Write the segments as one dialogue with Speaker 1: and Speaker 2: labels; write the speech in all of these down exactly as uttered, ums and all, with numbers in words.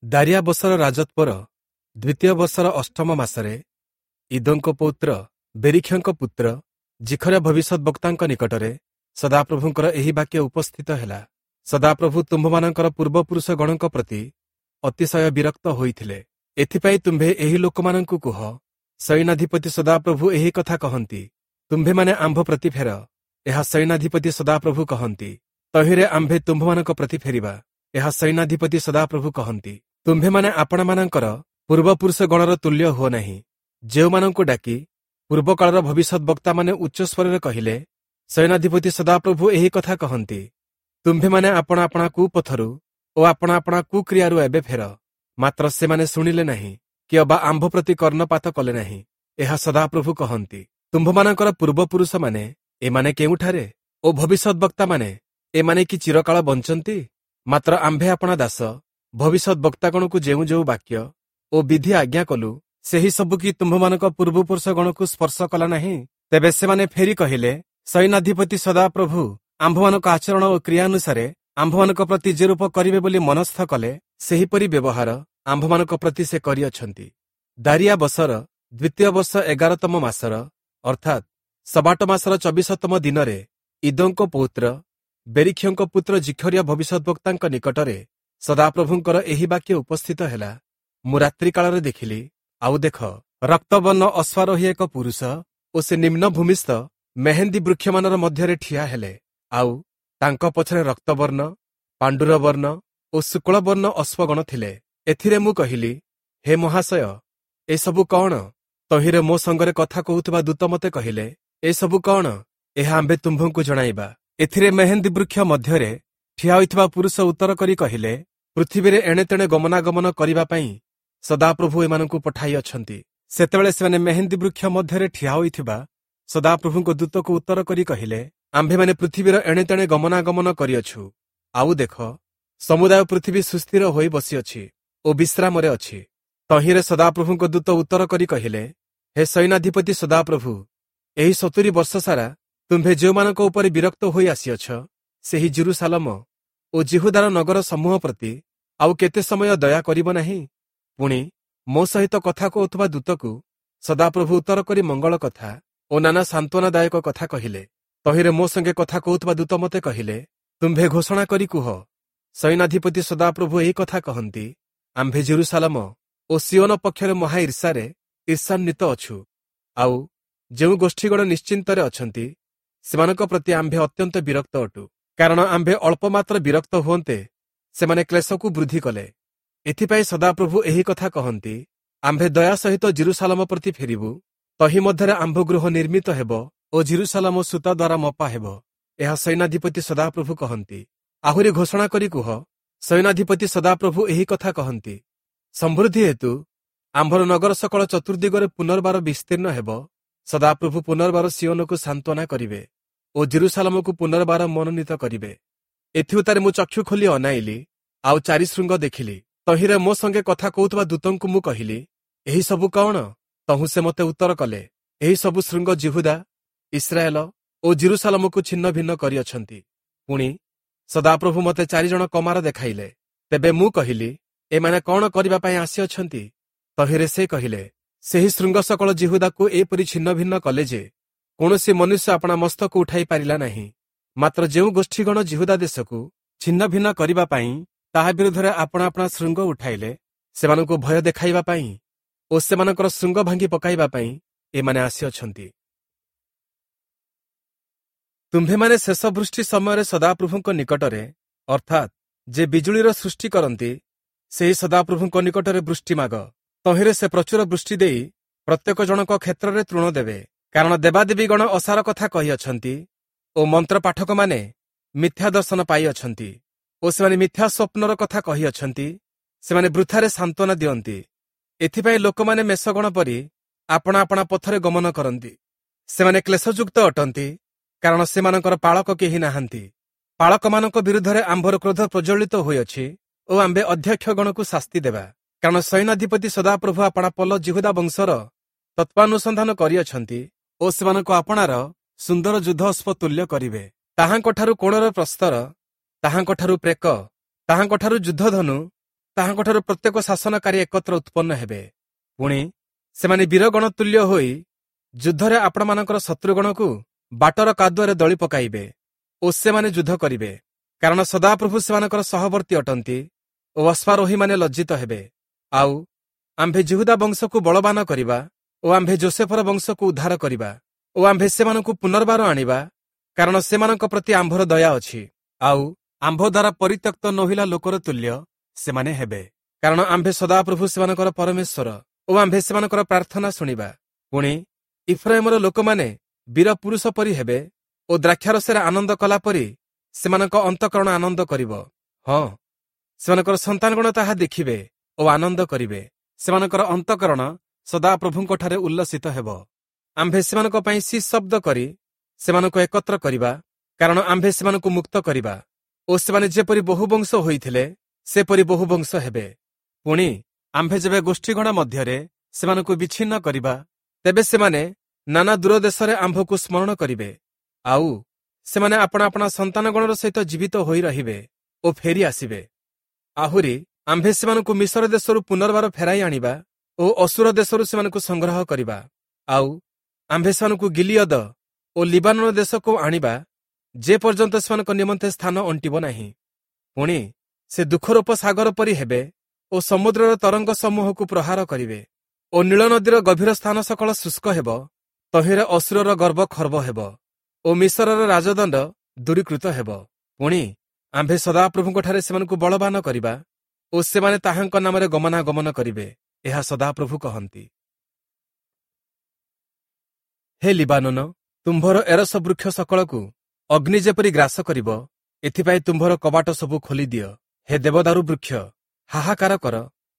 Speaker 1: ଦାରିୟାବସର ରାଜତ୍ୱର ଦ୍ୱିତୀୟ ବର୍ଷର ଅଷ୍ଟମ ମାସରେ ଇଦୋଙ୍କ ପୌତ୍ର ବେରିଖ୍ୟଙ୍କ ପୁତ୍ର ଜିଖରିୟ ଭବିଷ୍ୟଦ୍‌ବକ୍ତାଙ୍କ ନିକଟରେ ସଦାପ୍ରଭୁଙ୍କର ଏହି ବାକ୍ୟ ଉପସ୍ଥିତ ହେଲା। ସଦାପ୍ରଭୁ ତୁମ୍ଭମାନଙ୍କର ପୂର୍ବପୁରୁଷଗଣଙ୍କ ପ୍ରତି ଅତିଶୟ ବିରକ୍ତ ହୋଇଥିଲେ। ଏଥିପାଇଁ ତୁମ୍ଭେ ଏହି ଲୋକମାନଙ୍କୁ କୁହ, ସୈନ୍ୟାଧିପତି ସଦାପ୍ରଭୁ ଏହି କଥା କହନ୍ତି, ତୁମ୍ଭେମାନେ ଆମ୍ଭ ପ୍ରତି ଫେର। ଏହା ସୈନ୍ୟାଧିପତି ସଦାପ୍ରଭୁ କହନ୍ତି। ତହିଁରେ ଆମ୍ଭେ ତୁମ୍ଭମାନଙ୍କ ପ୍ରତି ଫେରିବା। ଏହା ସୈନ୍ୟାଧିପତି ସଦାପ୍ରଭୁ କହନ୍ତି। ତୁମ୍ଭେମାନେ ଆପଣାମାନଙ୍କର ପୂର୍ବପୁରୁଷଗଣର ତୁଲ୍ୟ ହୁଅ ନାହିଁ, ଯେଉଁମାନଙ୍କୁ ଡାକି ପୂର୍ବକାଳର ଭବିଷ୍ୟଦ୍‌ବକ୍ତାମାନେ ଉଚ୍ଚସ୍ୱରରେ କହିଲେ, ସୈନ୍ୟାଧିପତି ସଦାପ୍ରଭୁ ଏହି କଥା କହନ୍ତି, ତୁମ୍ଭେମାନେ ଆପଣା ଆପଣା କୁପଥରୁ ଓ ଆପଣା ଆପଣା କୁକ୍ରିୟାରୁ ଏବେ ଫେର। ମାତ୍ର ସେମାନେ ଶୁଣିଲେ ନାହିଁ କି ଅବା ଆମ୍ଭ ପ୍ରତି କର୍ଣ୍ଣପାତ କଲେ ନାହିଁ। ଏହା ସଦାପ୍ରଭୁ କହନ୍ତି। ତୁମ୍ଭମାନଙ୍କର ପୂର୍ବପୁରୁଷମାନେ ଏମାନେ କେଉଁଠାରେ? ଓ ଭବିଷ୍ୟଦ୍‌ବକ୍ତାମାନେ ଏମାନେ କି ଚିରକାଳ ବଞ୍ଚନ୍ତି? ମାତ୍ର ଆମ୍ଭେ ଆପଣା ଦାସ ଭବିଷ୍ୟଦ୍‌ବକ୍ତାଗଣକୁ ଯେଉଁ ଯେଉଁ ବାକ୍ୟ ଓ ବିଧି ଆଜ୍ଞା କଲୁ, ସେହି ସବୁ କି ତୁମ୍ଭମାନଙ୍କ ପୂର୍ବପୁରୁଷଗଣକୁ ସ୍ପର୍ଶ କଲା ନାହିଁ? ତେବେ ସେମାନେ ଫେରି କହିଲେ, ସୈନ୍ୟାଧିପତି ସଦାପ୍ରଭୁ ଆମ୍ଭମାନଙ୍କ ଆଚରଣ ଓ କ୍ରିୟାନୁସାରେ ଆମ୍ଭମାନଙ୍କ ପ୍ରତି ଯେ ରୂପ କରିବେ ବୋଲି ମନସ୍ଥ କଲେ, ସେହିପରି ବ୍ୟବହାର ଆମ୍ଭମାନଙ୍କ ପ୍ରତି ସେ କରିଅଛନ୍ତି। ଦାରିୟାବସର ଦ୍ୱିତୀୟ ବର୍ଷ ଏଗାରତମ ମାସର, ଅର୍ଥାତ୍ ସବାଟ ମାସର ଚବିଶତମ ଦିନରେ ଇଦୋଙ୍କ ପୌତ୍ର ବେରିଖ୍ୟଙ୍କ ପୁତ୍ର ଜିଖରିୟ ଭବିଷ୍ୟଦ୍‌ବକ୍ତାଙ୍କ ନିକଟରେ ସଦାପ୍ରଭୁଙ୍କର ଏହି ବାକ୍ୟ ଉପସ୍ଥିତ ହେଲା। ମୁଁ ରାତ୍ରିକାଳରେ ଦେଖିଲି, ଆଉ ଦେଖ, ରକ୍ତବର୍ଣ୍ଣ ଅଶ୍ୱାରୋହୀ ଏକ ପୁରୁଷ ଓ ସେ ନିମ୍ନ ଭୂମିସ୍ଥ ମେହେନ୍ଦୀ ବୃକ୍ଷମାନର ମଧ୍ୟରେ ଠିଆ ହେଲେ। ଆଉ ତାଙ୍କ ପଛରେ ରକ୍ତବର୍ଣ୍ଣ, ପାଣ୍ଡୁରବର୍ଣ୍ଣ ଓ ଶୁକ୍ଳବର୍ଣ୍ଣ ଅଶ୍ୱଗଣ ଥିଲେ। ଏଥିରେ ମୁଁ କହିଲି, ହେ ମହାଶୟ, ଏସବୁ କଣ? ତହିଁରେ ମୋ ସଙ୍ଗରେ କଥା କହୁଥିବା ଦୂତ ମୋତେ କହିଲେ, ଏସବୁ କଣ? ଏହା ଆମ୍ଭେ ତୁମ୍ଭଙ୍କୁ ଜଣାଇବା। ଏଥିରେ ମେହେନ୍ଦୀ ବୃକ୍ଷ ମଧ୍ୟରେ ଠିଆ ହୋଇଥିବା ପୁରୁଷ ଉତ୍ତର କରି କହିଲେ, ପୃଥିବୀରେ ଏଣେ ତେଣେ ଗମନାଗମନ କରିବା ପାଇଁ ସଦାପ୍ରଭୁ ଏମାନଙ୍କୁ ପଠାଇଅଛନ୍ତି। ସେତେବେଳେ ସେମାନେ ମେହେନ୍ଦୀ ବୃକ୍ଷ ମଧ୍ୟରେ ଠିଆ ହୋଇଥିବା ସଦାପ୍ରଭୁଙ୍କ ଦୂତକୁ ଉତ୍ତର କରି କହିଲେ, ଆମ୍ଭେମାନେ ପୃଥିବୀର ଏଣେ ତେଣେ ଗମନାଗମନ କରିଅଛୁ, ଆଉ ଦେଖ, ସମୁଦାୟ ପୃଥିବୀ ସୁସ୍ଥିର ହୋଇ ବସିଅଛି ଓ ବିଶ୍ରାମରେ ଅଛି। ତହିଁରେ ସଦାପ୍ରଭୁଙ୍କ ଦୂତ ଉତ୍ତର କରି କହିଲେ, ହେ ସୈନ୍ୟାଧିପତି ସଦାପ୍ରଭୁ, ଏହି ସତୁରି ବର୍ଷ ସାରା ତୁମ୍ଭେ ଯେଉଁମାନଙ୍କ ଉପରେ ବିରକ୍ତ ହୋଇ ଆସିଅଛ, ସେହି ଜିରୁସାଲମ ଓ ଜିହୁଦାର ନଗର ସମୂହ ପ୍ରତି ଆଉ କେତେ ସମୟ ଦୟା କରିବ ନାହିଁ? ପୁଣି ମୋ ସହିତ କଥା କହୁଥିବା ଦୂତକୁ ସଦାପ୍ରଭୁ ଉତ୍ତର କରି ମଙ୍ଗଳ କଥା ଓ ନାନା ସାନ୍ତ୍ୱନାଦାୟକ କଥା କହିଲେ। ତହିଁରେ ମୋ ସଙ୍ଗେ କଥା କହୁଥିବା ଦୂତ ମୋତେ କହିଲେ, ତୁମ୍ଭେ ଘୋଷଣା କରି କୁହ, ସୈନ୍ୟାଧିପତି ସଦାପ୍ରଭୁ ଏହି କଥା କହନ୍ତି, ଆମ୍ଭେ ଜିରୁସାଲମ ଓ ସିଓନ ପକ୍ଷରେ ମହା ଈର୍ଷାରେ ଈର୍ଷାନ୍ୱିତ ଅଛୁ। ଆଉ ଯେଉଁ ଗୋଷ୍ଠୀଗଣ ନିଶ୍ଚିନ୍ତରେ ଅଛନ୍ତି, ସେମାନଙ୍କ ପ୍ରତି ଆମ୍ଭେ ଅତ୍ୟନ୍ତ ବିରକ୍ତ ଅଟୁ। କାରଣ ଆମ୍ଭେ ଅଳ୍ପ ମାତ୍ର ବିରକ୍ତ ହୁଅନ୍ତେ ସେମାନେ କ୍ଲେଶକୁ ବୃଦ୍ଧି କଲେ। ଏଥିପାଇଁ ସଦାପ୍ରଭୁ ଏହି କଥା କହନ୍ତି, ଆମ୍ଭେ ଦୟା ସହିତ ଜିରୁସାଲମ ପ୍ରତି ଫେରିବୁ, ତହିଁ ମଧ୍ୟରେ ଆମ୍ଭ ଗୃହ ନିର୍ମିତ ହେବ ଓ ଜିରୁସାଲମ ସୂତା ଦ୍ୱାରା ମପା ହେବ। ଏହା ସୈନ୍ୟାଧିପତି ସଦାପ୍ରଭୁ କହନ୍ତି। ଆହୁରି ଘୋଷଣା କରି କୁହ, ସୈନ୍ୟାଧିପତି ସଦାପ୍ରଭୁ ଏହି କଥା କହନ୍ତି, ସମୃଦ୍ଧି ହେତୁ ଆମ୍ଭର ନଗର ସକଳ ଚତୁର୍ଦିଗରେ ପୁନର୍ବାର ବିସ୍ତୀର୍ଣ୍ଣ ହେବ। ସଦାପ୍ରଭୁ ପୁନର୍ବାର ସିଓନକୁ ସାନ୍ତ୍ୱନା କରିବେ ଓ ଜିରୁସାଲମକୁ ପୁନର୍ବାର ମନୋନୀତ କରିବେ। ଏଥିଉତ୍ତାରେ ମୁଁ ଚକ୍ଷୁ ଖୋଲି ଅନାଇଲି, ଆଉ ଚାରି ଶୃଙ୍ଗ ଦେଖିଲି। ତହିଁରେ ମୋ ସଙ୍ଗେ କଥା କହୁଥିବା ଦୂତଙ୍କୁ ମୁଁ କହିଲି, ଏହି ସବୁ କଣ? ତହୁଁ ସେ ମୋତେ ଉତ୍ତର କଲେ, ଏହି ସବୁ ଶୃଙ୍ଗ ଜିହୁଦା, ଇସ୍ରାଏଲ ଓ ଜିରୁସାଲମକୁ ଛିନ୍ନ ଭିନ୍ନ କରିଅଛନ୍ତି। ପୁଣି ସଦାପ୍ରଭୁ ମୋତେ ଚାରିଜଣ କମାର ଦେଖାଇଲେ। ତେବେ ମୁଁ କହିଲି, ଏମାନେ କଣ କରିବା ପାଇଁ ଆସିଅଛନ୍ତି? ତହିଁରେ ସେ କହିଲେ, ସେହି ଶୃଙ୍ଗ ସକଳ ଜିହୁଦାକୁ ଏପରି ଛିନ୍ନ ଭିନ୍ନ କଲେ ଯେ କୌଣସି ମନୁଷ୍ୟ ଆପଣା ମସ୍ତକ ଉଠାଇ ପାରିଲା ନାହିଁ। ମାତ୍ର ଯେଉଁ ଗୋଷ୍ଠୀଗଣ ଜିହୁଦା ଦେଶକୁ ଛିନ୍ନ ଭିନ୍ନ କରିବା ପାଇଁ ତାହା ବିରୁଦ୍ଧରେ ଆପଣା ଆପଣା ଶୃଙ୍ଗ ଉଠାଇଲେ, ସେମାନଙ୍କୁ ଭୟ ଦେଖାଇବା ପାଇଁ ଓ ସେମାନଙ୍କର ଶୃଙ୍ଗ ଭାଙ୍ଗି ପକାଇବା ପାଇଁ ଏମାନେ ଆସିଅଛନ୍ତି। ତୁମ୍ଭେମାନେ ଶେଷ ବୃଷ୍ଟି ସମୟରେ ସଦାପ୍ରଭୁଙ୍କ ନିକଟରେ, ଅର୍ଥାତ୍ ଯେ ବିଜୁଳିର ସୃଷ୍ଟି କରନ୍ତି, ସେହି ସଦାପ୍ରଭୁଙ୍କ ନିକଟରେ ବୃଷ୍ଟି ମାଗ। ତହିଁରେ ସେ ପ୍ରଚୁର ବୃଷ୍ଟି ଦେଇ ପ୍ରତ୍ୟେକ ଜଣଙ୍କ କ୍ଷେତ୍ରରେ ତୃଣ ଦେବେ। କାରଣ ଦେବାଦେବୀଗଣ ଅସାର କଥା କହିଅଛନ୍ତି ଓ ମନ୍ତ୍ର ପାଠକମାନେ ମିଥ୍ୟା ଦର୍ଶନ ପାଇଅଛନ୍ତି ଓ ସେମାନେ ମିଥ୍ୟା ସ୍ୱପ୍ନର କଥା କହିଅଛନ୍ତି। ସେମାନେ ବୃଥାରେ ସାନ୍ତ୍ୱନା ଦିଅନ୍ତି। ଏଥିପାଇଁ ଲୋକମାନେ ମେଷଗଣ ପରି ଆପଣା ଆପଣା ପଥରେ ଗମନ କରନ୍ତି। ସେମାନେ କ୍ଲେଶଯୁକ୍ତ ଅଟନ୍ତି, କାରଣ ସେମାନଙ୍କର ପାଳକ କେହି ନାହାନ୍ତି। ପାଳକମାନଙ୍କ ବିରୁଦ୍ଧରେ ଆମ୍ଭର କ୍ରୋଧ ପ୍ରଜ୍ୱଳିତ ହୋଇଅଛି ଓ ଆମ୍ଭେ ଅଧ୍ୟକ୍ଷଗଣକୁ ଶାସ୍ତି ଦେବା। କାରଣ ସୈନ୍ୟାଧିପତି ସଦାପ୍ରଭୁ ଆପଣା ପଲ ଜିହୁଦା ବଂଶର ତତ୍ତ୍ୱାନୁସନ୍ଧାନ କରିଅଛନ୍ତି ଓ ସେମାନଙ୍କୁ ଆପଣାର ସୁନ୍ଦର ଯୁଦ୍ଧ ଅଶ୍ୱ ତୁଲ୍ୟ କରିବେ। ତାହାଙ୍କଠାରୁ କୋଣର ପ୍ରସ୍ତର, ତାହାଙ୍କଠାରୁ ପ୍ରେକ, ତାହାଙ୍କଠାରୁ ଯୁଦ୍ଧଧନୁ ତାହାଙ୍କଠାରୁ ପ୍ରତ୍ୟେକ ଶାସନକାରୀ ଏକତ୍ର ଉତ୍ପନ୍ନ ହେବେ। ପୁଣି ସେମାନେ ବୀରଗଣ ତୁଲ୍ୟ ହୋଇ ଯୁଦ୍ଧରେ ଆପଣମାନଙ୍କର ଶତ୍ରୁଗଣକୁ ବାଟର କାଦୁଅରେ ଦଳି ପକାଇବେ ଓ ସେମାନେ ଯୁଦ୍ଧ କରିବେ, କାରଣ ସଦାପ୍ରଭୁ ସେମାନଙ୍କର ସହବର୍ତ୍ତୀ ଅଟନ୍ତି ଓ ଅଶ୍ୱାରୋହୀମାନେ ଲଜ୍ଜିତ ହେବେ। ଆଉ ଆମ୍ଭେ ଯିହୁଦା ବଂଶକୁ ବଳବାନ କରିବା ଓ ଆମ୍ଭେ ଯୋସେଫର ବଂଶକୁ ଉଦ୍ଧାର କରିବା ଓ ଆମ୍ଭେ ସେମାନଙ୍କୁ ପୁନର୍ବାର ଆଣିବା, କାରଣ ସେମାନଙ୍କ ପ୍ରତି ଆମ୍ଭର ଦୟା ଅଛି। ଆଉ ଆମ୍ଭ ଦ୍ୱାରା ପରିତ୍ୟକ୍ତ ନୋହିଲା ଲୋକର ତୁଲ୍ୟ ସେମାନେ ହେବେ, କାରଣ ଆମ୍ଭେ ସଦାପ୍ରଭୁ ସେମାନଙ୍କର ପରମେଶ୍ୱର ଓ ଆମ୍ଭେ ସେମାନଙ୍କର ପ୍ରାର୍ଥନା ଶୁଣିବା। ପୁଣି ଇଫ୍ରାଇମର ଲୋକମାନେ ବୀର ପୁରୁଷ ପରି ହେବେ ଓ ଦ୍ରାକ୍ଷାରସରେ ଆନନ୍ଦ କଲା ପରି ସେମାନଙ୍କ ଅନ୍ତଃକରଣ ଆନନ୍ଦ କରିବ। ହଁ, ସେମାନଙ୍କର ସନ୍ତାନଗଣ ତାହା ଦେଖିବେ ଓ ଆନନ୍ଦ କରିବେ। ସେମାନଙ୍କର ଅନ୍ତଃକରଣ ସଦାପ୍ରଭୁଙ୍କଠାରେ ଉଲ୍ଲସିତ ହେବ। ଆମ୍ଭେ ସେମାନଙ୍କ ପାଇଁ ସି ଶବ୍ଦ କରି ସେମାନଙ୍କୁ ଏକତ୍ର କରିବା, କାରଣ ଆମ୍ଭେ ସେମାନଙ୍କୁ ମୁକ୍ତ କରିବା ଓ ସେମାନେ ଯେପରି ବହୁ ବଂଶ ହୋଇଥିଲେ ସେପରି ବହୁ ବଂଶ ହେବେ। ପୁଣି ଆମ୍ଭେ ଯେବେ ଗୋଷ୍ଠୀଗଣ ମଧ୍ୟରେ ସେମାନଙ୍କୁ ବିଚ୍ଛିନ୍ନ କରିବା, ତେବେ ସେମାନେ ନାନା ଦୂର ଦେଶରେ ଆମ୍ଭକୁ ସ୍ମରଣ କରିବେ, ଆଉ ସେମାନେ ଆପଣା ଆପଣା ସନ୍ତାନଗଣର ସହିତ ଜୀବିତ ହୋଇ ରହିବେ ଓ ଫେରି ଆସିବେ। ଆହୁରି ଆମ୍ଭେ ସେମାନଙ୍କୁ ମିଶର ଦେଶରୁ ପୁନର୍ବାର ଫେରାଇ ଆଣିବା ଓ ଅସୁର ଦେଶରୁ ସେମାନଙ୍କୁ ସଂଗ୍ରହ କରିବା। ଆଉ ଆମ୍ଭେ ସେମାନଙ୍କୁ ଗିଲିୟଦ ଓ ଲିବାନନ ଦେଶକୁ ଆଣିବା, ଯେ ପର୍ଯ୍ୟନ୍ତ ସେମାନଙ୍କ ନିମନ୍ତେ ସ୍ଥାନ ଅଣ୍ଟିବ ନାହିଁ। ପୁଣି ସେ ଦୁଃଖରୂପ ସାଗର ପରି ହେବେ ଓ ସମୁଦ୍ରର ତରଙ୍ଗ ସମୂହକୁ ପ୍ରହାର କରିବେ ଓ ନୀଳ ନଦୀର ଗଭୀର ସ୍ଥାନ ସକଳ ଶୁଷ୍କ ହେବ। ତହିଁରେ ଅସୁରର ଗର୍ବ ଖର୍ବ ହେବ ଓ ମିଶରର ରାଜଦଣ୍ଡ ଦୂରୀକୃତ ହେବ। ପୁଣି ଆମ୍ଭେ ସଦାପ୍ରଭୁଙ୍କଠାରେ ସେମାନଙ୍କୁ ବଳବାନ କରିବା ଓ ସେମାନେ ତାହାଙ୍କ ନାମରେ ଗମନାଗମନ କରିବେ, ଏହା ସଦାପ୍ରଭୁ କହନ୍ତି। ହେ ଲିବାନନ, ତୁମ୍ଭର ଏରସ ବୃକ୍ଷ ସକଳକୁ ଅଗ୍ନି ଯେପରି ଗ୍ରାସ କରିବ, ଏଥିପାଇଁ ତୁମ୍ଭର କବାଟ ସବୁ ଖୋଲିଦିଅ। ହେ ଦେବଦାରୁ ବୃକ୍ଷ, ହାହାକାର କର,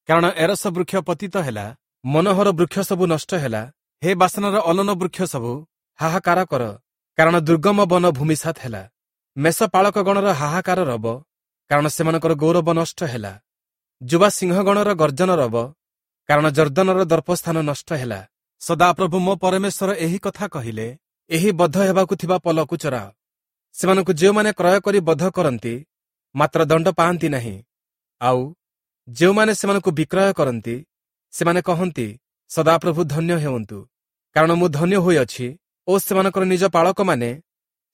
Speaker 1: କାରଣ ଏରସ ବୃକ୍ଷ ପତିତ ହେଲା, ମନୋହର ବୃକ୍ଷ ସବୁ ନଷ୍ଟ ହେଲା। ହେ ବାସନର ଅଲନ ବୃକ୍ଷ ସବୁ, ହାହାକାର କର, କାରଣ ଦୁର୍ଗମ ବନ ଭୂମିସାତ ହେଲା। ମେଷ ପାଳକଗଣର ହାହାକାର ରବ, କାରଣ ସେମାନଙ୍କର ଗୌରବ ନଷ୍ଟ ହେଲା। ଯୁବା ସିଂହଗଣର ଗର୍ଜନ ରବ, କାରଣ ଜର୍ଦ୍ଦନର ଦର୍ପସ୍ଥାନ ନଷ୍ଟ ହେଲା। ସଦାପ୍ରଭୁ ମୋ ପରମେଶ୍ୱର ଏହି କଥା କହିଲେ, ଏହି ବଦ୍ଧ ହେବାକୁ ଥିବା ପଲକୁ ଚରାଅ। ସେମାନଙ୍କୁ ଯେଉଁମାନେ କ୍ରୟ କରି ବଧ କରନ୍ତି, ମାତ୍ର ଦଣ୍ଡ ପାଆନ୍ତି ନାହିଁ, ଆଉ ଯେଉଁମାନେ ସେମାନଙ୍କୁ ବିକ୍ରୟ କରନ୍ତି, ସେମାନେ କହନ୍ତି, ସଦାପ୍ରଭୁ ଧନ୍ୟ ହେଉନ୍ତୁ, କାରଣ ମୁଁ ଧନ୍ୟ ହୋଇଅଛି ଓ ସେମାନଙ୍କର ନିଜ ପାଳକମାନେ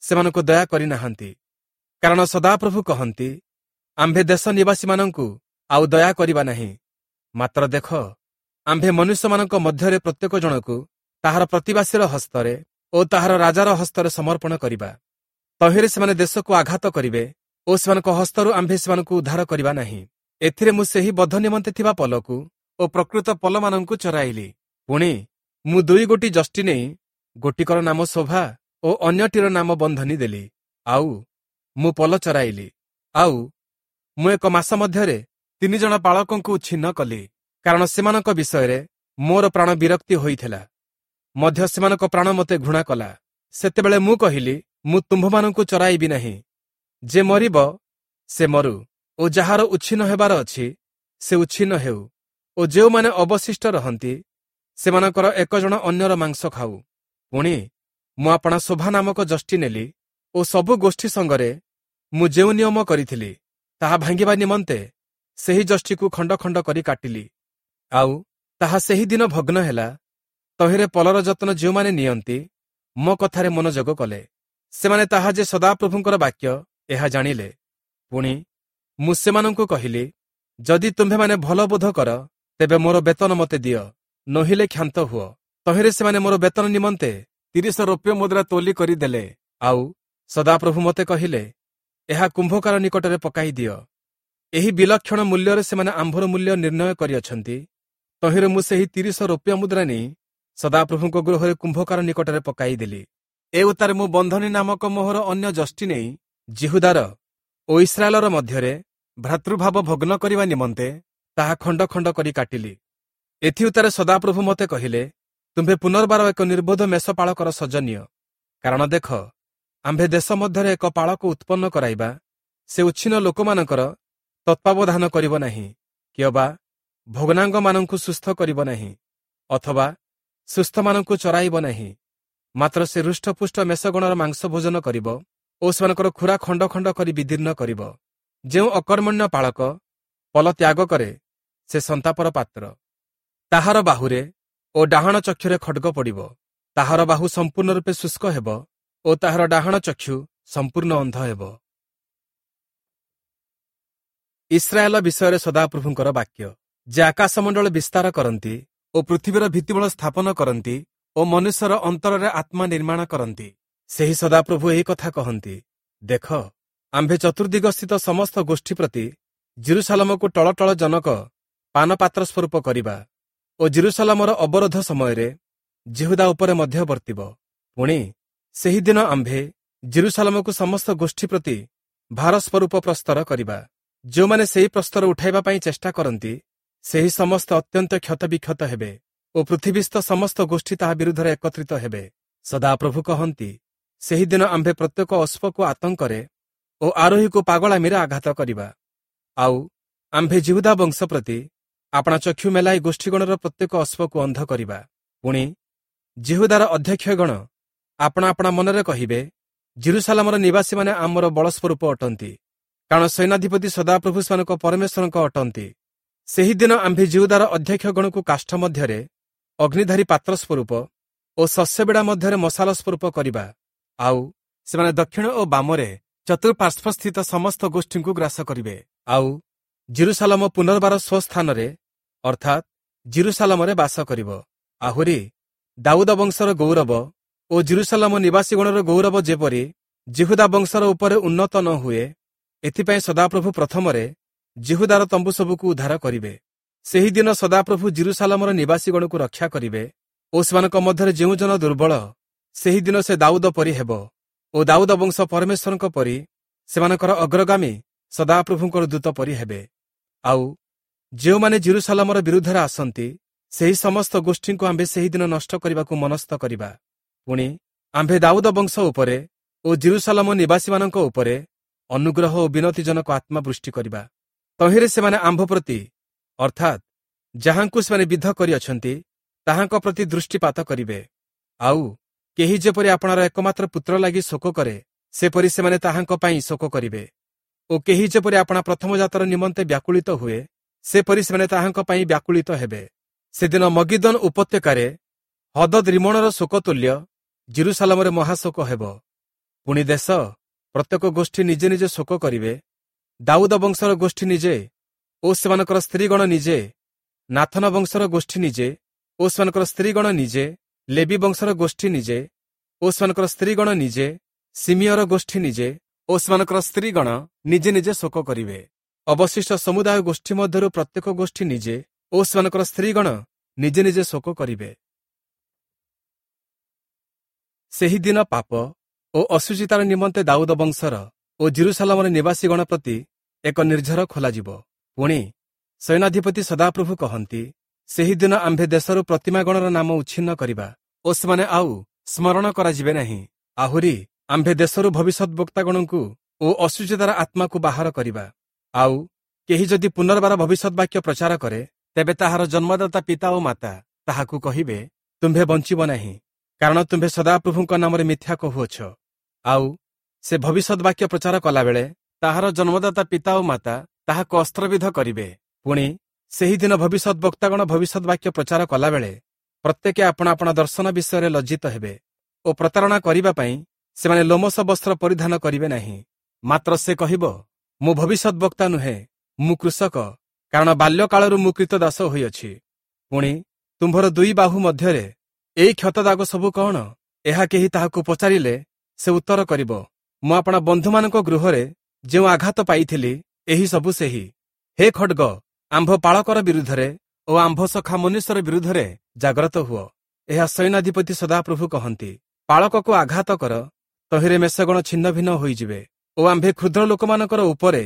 Speaker 1: ସେମାନଙ୍କୁ ଦୟା କରିନାହାନ୍ତି। କାରଣ ସଦାପ୍ରଭୁ କହନ୍ତି, ଆମ୍ଭେ ଦେଶ ନିବାସୀମାନଙ୍କୁ ଆଉ ଦୟା କରିବା ନାହିଁ। ମାତ୍ର ଦେଖ, ଆମ୍ଭେ ମନୁଷ୍ୟମାନଙ୍କ ମଧ୍ୟରେ ପ୍ରତ୍ୟେକ ଜଣକୁ ତାହାର ପ୍ରତିବାସୀର ହସ୍ତରେ ଓ ତାହାର ରାଜାର ହସ୍ତରେ ସମର୍ପଣ କରିବା। ତହିଁରେ ସେମାନେ ଦେଶକୁ ଆଘାତ କରିବେ ଓ ସେମାନଙ୍କ ହସ୍ତରୁ ଆମ୍ଭେ ସେମାନଙ୍କୁ ଉଦ୍ଧାର କରିବା ନାହିଁ। ଏଥିରେ ମୁଁ ସେହି ବଧ ନିମନ୍ତେ ଥିବା ପଲକୁ ଓ ପ୍ରକୃତ ପଲମାନଙ୍କୁ ଚରାଇଲି। ପୁଣି ମୁଁ ଦୁଇ ଗୋଟି ଯଷ୍ଟି ନେଇ ଗୋଟିକର ନାମ ଶୋଭା ଓ ଅନ୍ୟଟିର ନାମ ବନ୍ଧନୀ ଦେଲି। ଆଉ ମୁଁ ପଲ ଚରାଇଲି। ଆଉ ମୁଁ ଏକ ମାସ ମଧ୍ୟରେ ତିନି ଜଣ ପାଳକଙ୍କୁ ଛିନ୍ନ କଲି, କାରଣ ସେମାନଙ୍କ ବିଷୟରେ ମୋର ପ୍ରାଣ ବିରକ୍ତି ହୋଇଥିଲା, ମଧ୍ୟ ସେମାନଙ୍କ ପ୍ରାଣ ମୋତେ ଘୃଣା କଲା। ସେତେବେଳେ ମୁଁ କହିଲି, ମୁଁ ତୁମ୍ଭମାନଙ୍କୁ ଚରାଇବି ନାହିଁ। ଯେ ମରିବ ସେ ମରୁ, ଓ ଯାହାର ଉଚ୍ଛିନ୍ନ ହେବାର ଅଛି ସେ ଉଚ୍ଛିନ୍ନ ହେଉ, ଓ ଯେଉଁମାନେ ଅବଶିଷ୍ଟ ରହନ୍ତି ସେମାନଙ୍କର ଏକ ଜଣ ଅନ୍ୟର ମାଂସ ଖାଉ। ପୁଣି ମୁଁ ଆପଣା ଶୋଭା ନାମକ ଯଷ୍ଟି ନେଲି ଓ ସବୁ ଗୋଷ୍ଠୀ ସଙ୍ଗରେ ମୁଁ ଯେଉଁ ନିୟମ କରିଥିଲି ତାହା ଭାଙ୍ଗିବା ନିମନ୍ତେ ସେହି ଯଷ୍ଟିକୁ ଖଣ୍ଡ ଖଣ୍ଡ କରି କାଟିଲି। ଆଉ ତାହା ସେହି ଦିନ ଭଗ୍ନ ହେଲା। ତହିଁରେ ପଲର ଯତ୍ନ ଯେଉଁମାନେ ନିଅନ୍ତି ମୋ କଥାରେ ମନୋଯୋଗ କଲେ। ସେମାନେ ତାହା ଯେ ସଦାପ୍ରଭୁଙ୍କର ବାକ୍ୟ ଏହା ଜାଣିଲେ। ପୁଣି ମୁଁ ସେମାନଙ୍କୁ କହିଲି, ଯଦି ତୁମ୍ଭେମାନେ ଭଲ ବୋଧ କର, ତେବେ ମୋର ବେତନ ମୋତେ ଦିଅ, ନୋହିଲେ କ୍ଷାନ୍ତ ହୁଅ। ତହିଁରେ ସେମାନେ ମୋର ବେତନ ନିମନ୍ତେ ତିରିଶ ରୌପ୍ୟ ମୁଦ୍ରା ତୋଲି କରିଦେଲେ। ଆଉ ସଦାପ୍ରଭୁ ମୋତେ କହିଲେ, ଏହା କୁମ୍ଭକାର ନିକଟରେ ପକାଇ ଦିଅ। ଏହି ବିଲକ୍ଷଣ ମୂଲ୍ୟରେ ସେମାନେ ଆମ୍ଭର ମୂଲ୍ୟ ନିର୍ଣ୍ଣୟ କରିଅଛନ୍ତି। ତହିଁରେ ମୁଁ ସେହି ତିରିଶ ରୌପ୍ୟ ମୁଦ୍ରା ନେଇ ସଦାପ୍ରଭୁଙ୍କ ଗୃହରେ କୁମ୍ଭକାର ନିକଟରେ ପକାଇଦେଲି। ଏ ଉତ୍ତାରେ ମୁଁ ବନ୍ଧନୀ ନାମକ ମୋହର ଅନ୍ୟ ଯଷ୍ଟି ନେଇ ଯିହୁଦାର ଓ ଇସ୍ରାଏଲର ମଧ୍ୟରେ ଭ୍ରାତୃଭାବ ଭଗ୍ନ କରିବା ନିମନ୍ତେ ତାହା ଖଣ୍ଡ ଖଣ୍ଡ କରି କାଟିଲି। ଏଥିଉତ୍ତାରେ ସଦାପ୍ରଭୁ ମୋତେ କହିଲେ, ତୁମ୍ଭେ ପୁନର୍ବାର ଏକ ନିର୍ବୋଧ ମେଷପାଳକର ସଜ ନିଅ। କାରଣ ଦେଖ, ଆମ୍ଭେ ଦେଶ ମଧ୍ୟରେ ଏକ ପାଳକ ଉତ୍ପନ୍ନ କରାଇବା, ସେ ଉଚ୍ଛିନ୍ନ ଲୋକମାନଙ୍କର ତତ୍ତ୍ୱାବଧାନ କରିବ ନାହିଁ, କିଅବା ଭଗ୍ନାଙ୍ଗମାନଙ୍କୁ ସୁସ୍ଥ କରିବ ନାହିଁ, ଅଥବା ସୁସ୍ଥମାନଙ୍କୁ ଚରାଇବ ନାହିଁ। ମାତ୍ର ସେ ହୃଷ୍ଟପୁଷ୍ଟ ମେଷଗଣର ମାଂସ ଭୋଜନ କରିବ ଓ ସେମାନଙ୍କର ଖୁରା ଖଣ୍ଡ ଖଣ୍ଡ କରି ବିଦୀର୍ଣ୍ଣ କରିବ। ଯେଉଁ ଅକର୍ମଣ୍ୟ ପାଳକ ପଲ ତ୍ୟାଗ କରେ ସେ ସନ୍ତାପର ପାତ୍ର। ତାହାର ବାହୁରେ ଓ ଡାହାଣ ଚକ୍ଷୁରେ ଖଡ୍ଗ ପଡ଼ିବ। ତାହାର ବାହୁ ସମ୍ପୂର୍ଣ୍ଣ ରୂପେ ଶୁଷ୍କ ହେବ ଓ ତାହାର ଡାହାଣ ଚକ୍ଷୁ ସମ୍ପୂର୍ଣ୍ଣ ଅନ୍ଧ ହେବ। ଇସ୍ରାଏଲ ବିଷୟରେ ସଦାପ୍ରଭୁଙ୍କର ବାକ୍ୟ, ଯେ ଆକାଶମଣ୍ଡଳ ବିସ୍ତାର କରନ୍ତି ଓ ପୃଥିବୀର ଭିତ୍ତିମୂଳ ସ୍ଥାପନ କରନ୍ତି ଓ ମନୁଷ୍ୟର ଅନ୍ତରରେ ଆତ୍ମା ନିର୍ମାଣ କରନ୍ତି, ସେହି ସଦାପ୍ରଭୁ ଏହି କଥା କହନ୍ତି, ଦେଖ, ଆମ୍ଭେ ଚତୁର୍ଦିଗସ୍ଥିତ ସମସ୍ତ ଗୋଷ୍ଠୀ ପ୍ରତି ଜିରୁସାଲମକୁ ଟଳଟଳ ଜନକ ପାନପାତ୍ର ସ୍ୱରୂପ କରିବା ଓ ଜିରୁସାଲମର ଅବରୋଧ ସମୟରେ ଯିହୁଦା ଉପରେ ମଧ୍ୟ ବର୍ତ୍ତିବ। ପୁଣି ସେହିଦିନ ଆମ୍ଭେ ଜିରୁସାଲମକୁ ସମସ୍ତ ଗୋଷ୍ଠୀ ପ୍ରତି ଭାର ସ୍ୱରୂପ ପ୍ରସ୍ତର କରିବା। ଯେଉଁମାନେ ସେହି ପ୍ରସ୍ତର ଉଠାଇବା ପାଇଁ ଚେଷ୍ଟା କରନ୍ତି, ସେହି ସମସ୍ତ ଅତ୍ୟନ୍ତ କ୍ଷତବିକ୍ଷତ ହେବେ ଓ ପୃଥିବୀସ୍ଥ ସମସ୍ତ ଗୋଷ୍ଠୀ ତାହା ବିରୁଦ୍ଧରେ ଏକତ୍ରିତ ହେବେ। ସଦାପ୍ରଭୁ କହନ୍ତି, ସେହିଦିନ ଆମ୍ଭେ ପ୍ରତ୍ୟେକ ଅଶ୍ୱକୁ ଆତଙ୍କରେ ଓ ଆରୋହୀକୁ ପାଗଳାମିରେ ଆଘାତ କରିବା। ଆଉ ଆମ୍ଭେ ଯିହୁଦା ବଂଶ ପ୍ରତି ଆପଣା ଚକ୍ଷୁ ମେଲାଇ ଗୋଷ୍ଠୀଗଣର ପ୍ରତ୍ୟେକ ଅଶ୍ୱକୁ ଅନ୍ଧ କରିବା। ପୁଣି ଯିହୁଦାର ଅଧ୍ୟକ୍ଷଗଣ ଆପଣା ଆପଣା ମନରେ କହିବେ, ଜିରୁସାଲାମର ନିବାସୀମାନେ ଆମର ବଳସ୍ୱରୂପ ଅଟନ୍ତି, କାରଣ ସୈନ୍ୟାଧିପତି ସଦାପ୍ରଭୁ ସେମାନଙ୍କ ପରମେଶ୍ୱରଙ୍କ ଅଟନ୍ତି। ସେହିଦିନ ଆମ୍ଭେ ଯିହୁଦାର ଅଧ୍ୟକ୍ଷଗଣକୁ କାଷ୍ଠ ମଧ୍ୟରେ ଅଗ୍ନିଧାରୀ ପାତ୍ର ସ୍ୱରୂପ ଓ ଶସ୍ୟବିଡ଼ା ମଧ୍ୟରେ ମଶାଲ ସ୍ୱରୂପ କରିବା। ଆଉ ସେମାନେ ଦକ୍ଷିଣ ଓ ବାମରେ ଚତୁଃପାର୍ଶ୍ୱସ୍ଥିତ ସମସ୍ତ ଗୋଷ୍ଠୀଙ୍କୁ ଗ୍ରାସ କରିବେ। ଆଉ ଜିରୁସାଲମ ପୁନର୍ବାର ସ୍ୱସ୍ଥାନରେ ଅର୍ଥାତ୍ ଜିରୁସାଲମରେ ବାସ କରିବ। ଆହୁରି ଦାଉଦ ବଂଶର ଗୌରବ ଓ ଜିରୁସାଲମ ନିବାସୀଗଣର ଗୌରବ ଯେପରି ଯିହୁଦା ବଂଶର ଉପରେ ଉନ୍ନତ ନ ହୁଏ, ଏଥିପାଇଁ ସଦାପ୍ରଭୁ ପ୍ରଥମରେ ଯିହୁଦାର ତମ୍ବୁ ସବୁକୁ ଉଦ୍ଧାର କରିବେ। ସେହିଦିନ ସଦାପ୍ରଭୁ ଜିରୁସାଲମର ନିବାସୀଗଣକୁ ରକ୍ଷା କରିବେ ଓ ସେମାନଙ୍କ ମଧ୍ୟରେ ଯେଉଁ ଜନ ଦୁର୍ବଳ, ସେହିଦିନ ସେ ଦାଉଦ ପରି ହେବ ଓ ଦାଉଦ ବଂଶ ପରମେଶ୍ୱରଙ୍କ ପରି ସେମାନଙ୍କର ଅଗ୍ରଗାମୀ ସଦାପ୍ରଭୁଙ୍କର ଦୂତ ପରି ହେବେ। ଆଉ ଯେଉଁମାନେ ଜିରୁସାଲମର ବିରୁଦ୍ଧରେ ଆସନ୍ତି, ସେହି ସମସ୍ତ ଗୋଷ୍ଠୀଙ୍କୁ ଆମ୍ଭେ ସେହିଦିନ ନଷ୍ଟ କରିବାକୁ ମନସ୍ଥ କରିବା। ପୁଣି ଆମ୍ଭେ ଦାଉଦ ବଂଶ ଉପରେ ଓ ଜିରୁସାଲମ ନିବାସୀମାନଙ୍କ ଉପରେ ଅନୁଗ୍ରହ ଓ ବିନତିଜନକ ଆତ୍ମା ବୃଷ୍ଟି କରିବା। ତହିଁରେ ସେମାନେ ଆମ୍ଭ ପ୍ରତି, ଅର୍ଥାତ୍ ଯାହାଙ୍କୁ ସେମାନେ ବିଦ୍ଧ କରିଅଛନ୍ତି, ତାହାଙ୍କ ପ୍ରତି ଦୃଷ୍ଟିପାତ କରିବେ। ଆଉ କେହି ଯେପରି ଆପଣାର ଏକମାତ୍ର ପୁତ୍ର ଲାଗି ଶୋକ କରେ, ସେପରି ସେମାନେ ତାହାଙ୍କ ପାଇଁ ଶୋକ କରିବେ। ଓ କେହି ଯେପରି ଆପଣା ପ୍ରଥମ ଜାତର ନିମନ୍ତେ ବ୍ୟାକୁଳିତ ହୁଏ, ସେପରି ସେମାନେ ତାହାଙ୍କ ପାଇଁ ବ୍ୟାକୁଳିତ ହେବେ। ସେଦିନ ମଗିଦୋନ ଉପତ୍ୟକାରେ ହଦଦ୍ ରିମୋଣର ଶୋକତୁଲ୍ୟ ଜିରୁସାଲମରେ ମହାଶୋକ ହେବ। ପୁଣି ଦେଶ ପ୍ରତ୍ୟେକ ଗୋଷ୍ଠୀ ନିଜେ ନିଜେ ଶୋକ କରିବେ। ଦାଉଦ ବଂଶର ଗୋଷ୍ଠୀ ନିଜେ ଓ ସେମାନଙ୍କର ସ୍ତ୍ରୀଗଣ ନିଜେ, ନାଥନ ବଂଶର ଗୋଷ୍ଠୀ ନିଜେ ଓ ସେମାନଙ୍କର ସ୍ତ୍ରୀଗଣ ନିଜେ, ଲେବି ବଂଶର ଗୋଷ୍ଠୀ ନିଜେ ଓ ସେମାନଙ୍କର ସ୍ତ୍ରୀଗଣ ନିଜେ, ସିମିୟର ଗୋଷ୍ଠୀ ନିଜେ ଓ ସେମାନଙ୍କର ସ୍ତ୍ରୀଗଣ ନିଜେ ନିଜେ ଶୋକ କରିବେ। ଅବଶିଷ୍ଟ ସମୁଦାୟ ଗୋଷ୍ଠୀ ମଧ୍ୟରୁ ପ୍ରତ୍ୟେକ ଗୋଷ୍ଠୀ ନିଜେ ଓ ସେମାନଙ୍କର ସ୍ତ୍ରୀଗଣ ନିଜେ ନିଜେ ଶୋକ କରିବେ। ସେହିଦିନ ପାପ ଓ ଅଶୁଚିତାର ନିମନ୍ତେ ଦାଉଦ ବଂଶର ଓ ଜିରୁସାଲମର ନିବାସୀଗଣ ପ୍ରତି ଏକ ନିର୍ଝର ଖୋଲାଯିବ। ପୁଣି ସୈନ୍ୟାଧିପତି ସଦାପ୍ରଭୁ କହନ୍ତି, ସେହିଦିନ ଆମ୍ଭେ ଦେଶରୁ ପ୍ରତିମାଗଣର ନାମ ଉଚ୍ଛିନ୍ନ କରିବା ଓ ସେମାନେ ଆଉ ସ୍ମରଣ କରାଯିବେ ନାହିଁ। ଆହୁରି ଆମ୍ଭେ ଦେଶରୁ ଭବିଷ୍ୟଦ୍‌ବକ୍ତାଗଣଙ୍କୁ ଓ ଅଶୁଚିତାର ଆତ୍ମାକୁ ବାହାର କରିବା। ଆଉ କେହି ଯଦି ପୁନର୍ବାର ଭବିଷ୍ୟଦ୍‌ବାକ୍ୟ ପ୍ରଚାର କରେ, ତେବେ ତାହାର ଜନ୍ମଦାତା ପିତା ଓ ମାତା ତାହାକୁ କହିବେ, ତୁମ୍ଭେ ବଞ୍ଚିବ ନାହିଁ, କାରଣ ତୁମ୍ଭେ ସଦାପ୍ରଭୁଙ୍କ ନାମରେ ମିଥ୍ୟା କହୁଅଛ। ଆଉ ସେ ଭବିଷ୍ୟଦ୍‌ବାକ୍ୟ ପ୍ରଚାର କଲାବେଳେ ତାହାର ଜନ୍ମଦାତା ପିତା ଓ ମାତା ତାହାକୁ ଅସ୍ତ୍ରବିଧ କରିବେ। ପୁଣି ସେହିଦିନ ଭବିଷ୍ୟଦ୍‌ବକ୍ତାଗଣ ଭବିଷ୍ୟଦ୍‌ବାକ୍ୟ ପ୍ରଚାର କଲାବେଳେ ପ୍ରତ୍ୟେକେ ଆପଣା ଆପଣା ଦର୍ଶନ ବିଷୟରେ ଲଜ୍ଜିତ ହେବେ ଓ ପ୍ରତାରଣା କରିବା ପାଇଁ ସେମାନେ ଲୋମଶ ବସ୍ତ୍ର ପରିଧାନ କରିବେ ନାହିଁ। ମାତ୍ର ସେ କହିବ, ମୁଁ ଭବିଷ୍ୟଦ୍‌ବକ୍ତା ନୁହେଁ, ମୁଁ କୃଷକ, କାରଣ ବାଲ୍ୟକାଳରୁ ମୁଁ କ୍ରୀତଦାସ ହୋଇଅଛି। ପୁଣି ତୁମ୍ଭର ଦୁଇ ବାହୁ ମଧ୍ୟରେ ଏଇ କ୍ଷତ ଦାଗ ସବୁ କଣ? ଏହା କେହି ତାହାକୁ ପଚାରିଲେ ସେ ଉତ୍ତର କରିବ, ମୁଁ ଆପଣା ବନ୍ଧୁମାନଙ୍କ ଗୃହରେ ଯେଉଁ ଆଘାତ ପାଇଥିଲି, ଏହି ସବୁ ସେହି। ହେ ଖଡ୍ଗ, ଆମ୍ଭ ପାଳକର ବିରୁଦ୍ଧରେ ଓ ଆମ୍ଭ ସଖା ମନୁଷ୍ୟର ବିରୁଦ୍ଧରେ ଜାଗ୍ରତ ହୁଅ। ଏହା ସୈନ୍ୟାଧିପତି ସଦାପ୍ରଭୁ କହନ୍ତି। ପାଳକକୁ ଆଘାତ କର, ତହିଁରେ ମେଷଗଣ ଛିନ୍ନ ଭିନ୍ନ ହୋଇଯିବେ ଓ ଆମ୍ଭେ କ୍ଷୁଦ୍ର ଲୋକମାନଙ୍କର ଉପରେ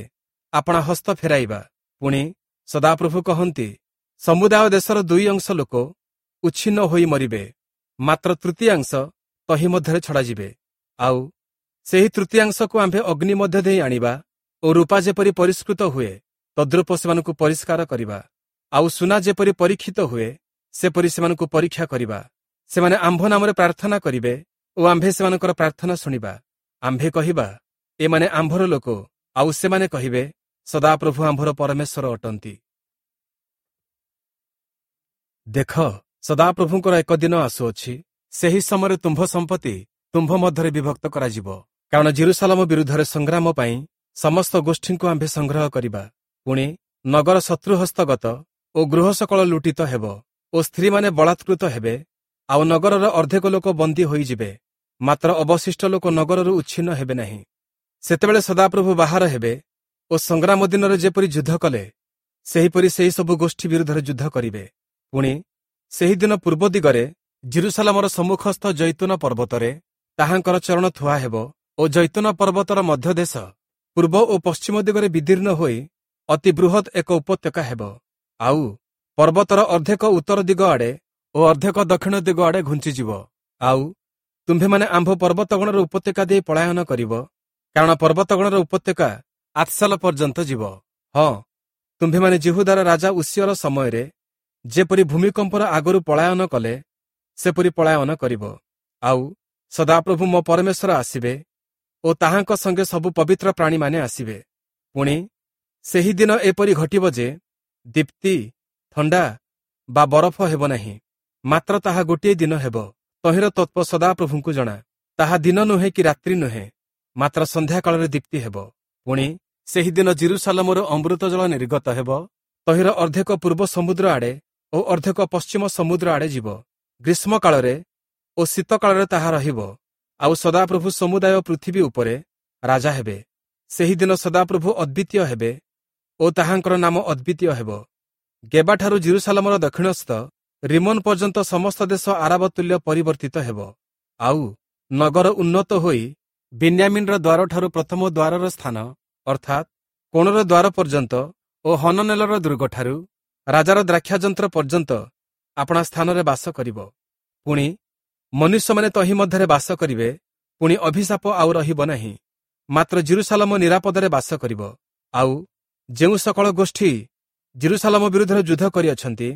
Speaker 1: ଆପଣା ହସ୍ତ ଫେରାଇବା। ପୁଣି ସଦାପ୍ରଭୁ କହନ୍ତି, ସମୁଦାୟ ଦେଶର ଦୁଇ ଅଂଶ ଲୋକ ଉଚ୍ଛିନ୍ନ ହୋଇ ମରିବେ, ମାତ୍ର ତୃତୀୟାଂଶ ତହିଁ ମଧ୍ୟରେ ଛଡ଼ାଯିବେ। ଆଉ ସେହି ତୃତୀୟାଂଶକୁ ଆମ୍ଭେ ଅଗ୍ନି ମଧ୍ୟ ଦେଇ ଆଣିବା ଓ ରୂପା ଯେପରି ପରିଷ୍କୃତ ହୁଏ, ତଦ୍ରୂପ ସେମାନଙ୍କୁ ପରିଷ୍କାର କରିବା। ଆଉ ସୁନା ଯେପରି ପରୀକ୍ଷିତ ହୁଏ, ସେପରି ସେମାନଙ୍କୁ ପରୀକ୍ଷା କରିବା। ସେମାନେ ଆମ୍ଭ ନାମରେ ପ୍ରାର୍ଥନା କରିବେ ଓ ଆମ୍ଭେ ସେମାନଙ୍କର ପ୍ରାର୍ଥନା ଶୁଣିବା। ଆମ୍ଭେ କହିବା, ଏମାନେ ଆମ୍ଭର ଲୋକ, ଆଉ ସେମାନେ କହିବେ, ସଦାପ୍ରଭୁ ଆମ୍ଭର ପରମେଶ୍ୱର ଅଟନ୍ତି। ଦେଖ, ସଦାପ୍ରଭୁଙ୍କର ଏକ ଦିନ ଆସୁଅଛି, ସେହି ସମୟରେ ତୁମ୍ଭ ସମ୍ପତ୍ତି ତୁମ୍ଭ ମଧ୍ୟରେ ବିଭକ୍ତ କରାଯିବ। କାରଣ ଯିରୂଶାଲମ ବିରୁଦ୍ଧରେ ସଂଗ୍ରାମ ପାଇଁ ସମସ୍ତ ଗୋଷ୍ଠୀଙ୍କୁ ଆମ୍ଭେ ସଂଗ୍ରହ କରିବା। ପୁଣି ନଗର ଶତ୍ରୁ ହସ୍ତଗତ ଓ ଗୃହ ସକଳ ଲୁଟିତ ହେବ ଓ ସ୍ତ୍ରୀମାନେ ବଳାତ୍କୃତ ହେବେ, ଆଉ ନଗରର ଅର୍ଦ୍ଧେକ ଲୋକ ବନ୍ଦୀ ହୋଇଯିବେ, ମାତ୍ର ଅବଶିଷ୍ଟ ଲୋକ ନଗରରୁ ଉଚ୍ଛିନ୍ନ ହେବେ ନାହିଁ। ସେତେବେଳେ ସଦାପ୍ରଭୁ ବାହାର ହେବେ ଓ ସଂଗ୍ରାମ ଦିନରେ ଯେପରି ଯୁଦ୍ଧ କଲେ, ସେହିପରି ସେହି ସବୁ ଗୋଷ୍ଠୀ ବିରୁଦ୍ଧରେ ଯୁଦ୍ଧ କରିବେ। ପୁଣି ସେହିଦିନ ପୂର୍ବ ଦିଗରେ ଯିରୂଶାଲମର ସମ୍ମୁଖସ୍ଥ ଜୈତୁନ ପର୍ବତରେ ତାହାଙ୍କର ଚରଣ ଥୁଆ ହେବ ଓ ଜୈତୁନ ପର୍ବତର ମଧ୍ୟଦେଶ ପୂର୍ବ ଓ ପଶ୍ଚିମ ଦିଗରେ ବିଦୀର୍ଣ୍ଣ ହୋଇ ଅତି ବୃହତ୍ ଏକ ଉପତ୍ୟକା ହେବ। ଆଉ ପର୍ବତର ଅର୍ଦ୍ଧେକ ଉତ୍ତର ଦିଗ ଆଡ଼େ ଓ ଅର୍ଦ୍ଧେକ ଦକ୍ଷିଣ ଦିଗ ଆଡ଼େ ଘୁଞ୍ଚିଯିବ। ଆଉ ତୁମ୍ଭେମାନେ ଆମ୍ଭ ପର୍ବତଗଣର ଉପତ୍ୟକା ଦେଇ ପଳାୟନ କରିବ, କାରଣ ପର୍ବତଗଣର ଉପତ୍ୟକା ଆତ୍ସାଲ ପର୍ଯ୍ୟନ୍ତ ଯିବ। ହଁ, ତୁମ୍ଭେମାନେ ଯିହୁଦାର ରାଜା ଉଷିୟର ସମୟରେ ଯେପରି ଭୂମିକମ୍ପର ଆଗରୁ ପଳାୟନ କଲେ, ସେପରି ପଳାୟନ କରିବ। ଆଉ ସଦାପ୍ରଭୁ ମୋ ପରମେଶ୍ୱର ଆସିବେ ଓ ତାହାଙ୍କ ସଙ୍ଗେ ସବୁ ପବିତ୍ର ପ୍ରାଣୀମାନେ ଆସିବେ। ପୁଣି ସେହି ଦିନ ଏପରି ଘଟିବ ଯେ ଦୀପ୍ତି, ଥଣ୍ଡା ବା ବରଫ ହେବ ନାହିଁ, ମାତ୍ର ତାହା ଗୋଟିଏ ଦିନ ହେବ। ତହିଁର ତତ୍ତ୍ୱ ସଦାପ୍ରଭୁଙ୍କୁ ଜଣା। ତାହା ଦିନ ନୁହେଁ କି ରାତ୍ରି ନୁହେଁ, ମାତ୍ର ସନ୍ଧ୍ୟାକାଳରେ ଦୀପ୍ତି ହେବ। ପୁଣି ସେହିଦିନ ଯିରୂଶାଲମରୁ ଅମୃତ ଜଳ ନିର୍ଗତ ହେବ, ତହିଁର ଅର୍ଦ୍ଧେକ ପୂର୍ବ ସମୁଦ୍ର ଆଡ଼େ ଓ ଅର୍ଦ୍ଧେକ ପଶ୍ଚିମ ସମୁଦ୍ର ଆଡ଼େ ଯିବ। ଗ୍ରୀଷ୍ମ କାଳରେ ଓ ଶୀତ କାଳରେ ତାହା ରହିବ। ଆଉ ସଦାପ୍ରଭୁ ସମୁଦାୟ ପୃଥିବୀ ଉପରେ ରାଜା ହେବେ। ସେହିଦିନ ସଦାପ୍ରଭୁ ଅଦ୍ୱିତୀୟ ହେବେ ଓ ତାହାଙ୍କର ନାମ ଅଦ୍ୱିତୀୟ ହେବ। ଗେବାଠାରୁ ଯିରୂଶାଲମର ଦକ୍ଷିଣସ୍ଥ ରିମୋନ ପର୍ଯ୍ୟନ୍ତ ସମସ୍ତ ଦେଶ ଆରବ ତୁଲ୍ୟ ପରିବର୍ତ୍ତିତ ହେବ। ଆଉ ନଗର ଉନ୍ନତ ହୋଇ ବିନ୍ୟାମିନ୍ର ଦ୍ୱାରଠାରୁ ପ୍ରଥମ ଦ୍ୱାରର ସ୍ଥାନ, ଅର୍ଥାତ୍ କୋଣର ଦ୍ୱାର ପର୍ଯ୍ୟନ୍ତ ଓ ହନନେଲର ଦୁର୍ଗଠାରୁ ରାଜାର ଦ୍ରାକ୍ଷାଯନ୍ତ୍ର ପର୍ଯ୍ୟନ୍ତ ଆପଣା ସ୍ଥାନରେ ବାସ କରିବ। ପୁଣି ମନୁଷ୍ୟମାନେ ତହିଁ ମଧ୍ୟରେ ବାସ କରିବେ, ପୁଣି ଅଭିଶାପ ଆଉ ରହିବ ନାହିଁ, ମାତ୍ର ଯିରୂଶାଲମ ନିରାପଦରେ ବାସ କରିବ। ଆଉ ଯେଉଁ ସକଳ ଗୋଷ୍ଠୀ ଯିରୂଶାଲମ ବିରୁଦ୍ଧରେ ଯୁଦ୍ଧ କରିଅଛନ୍ତି,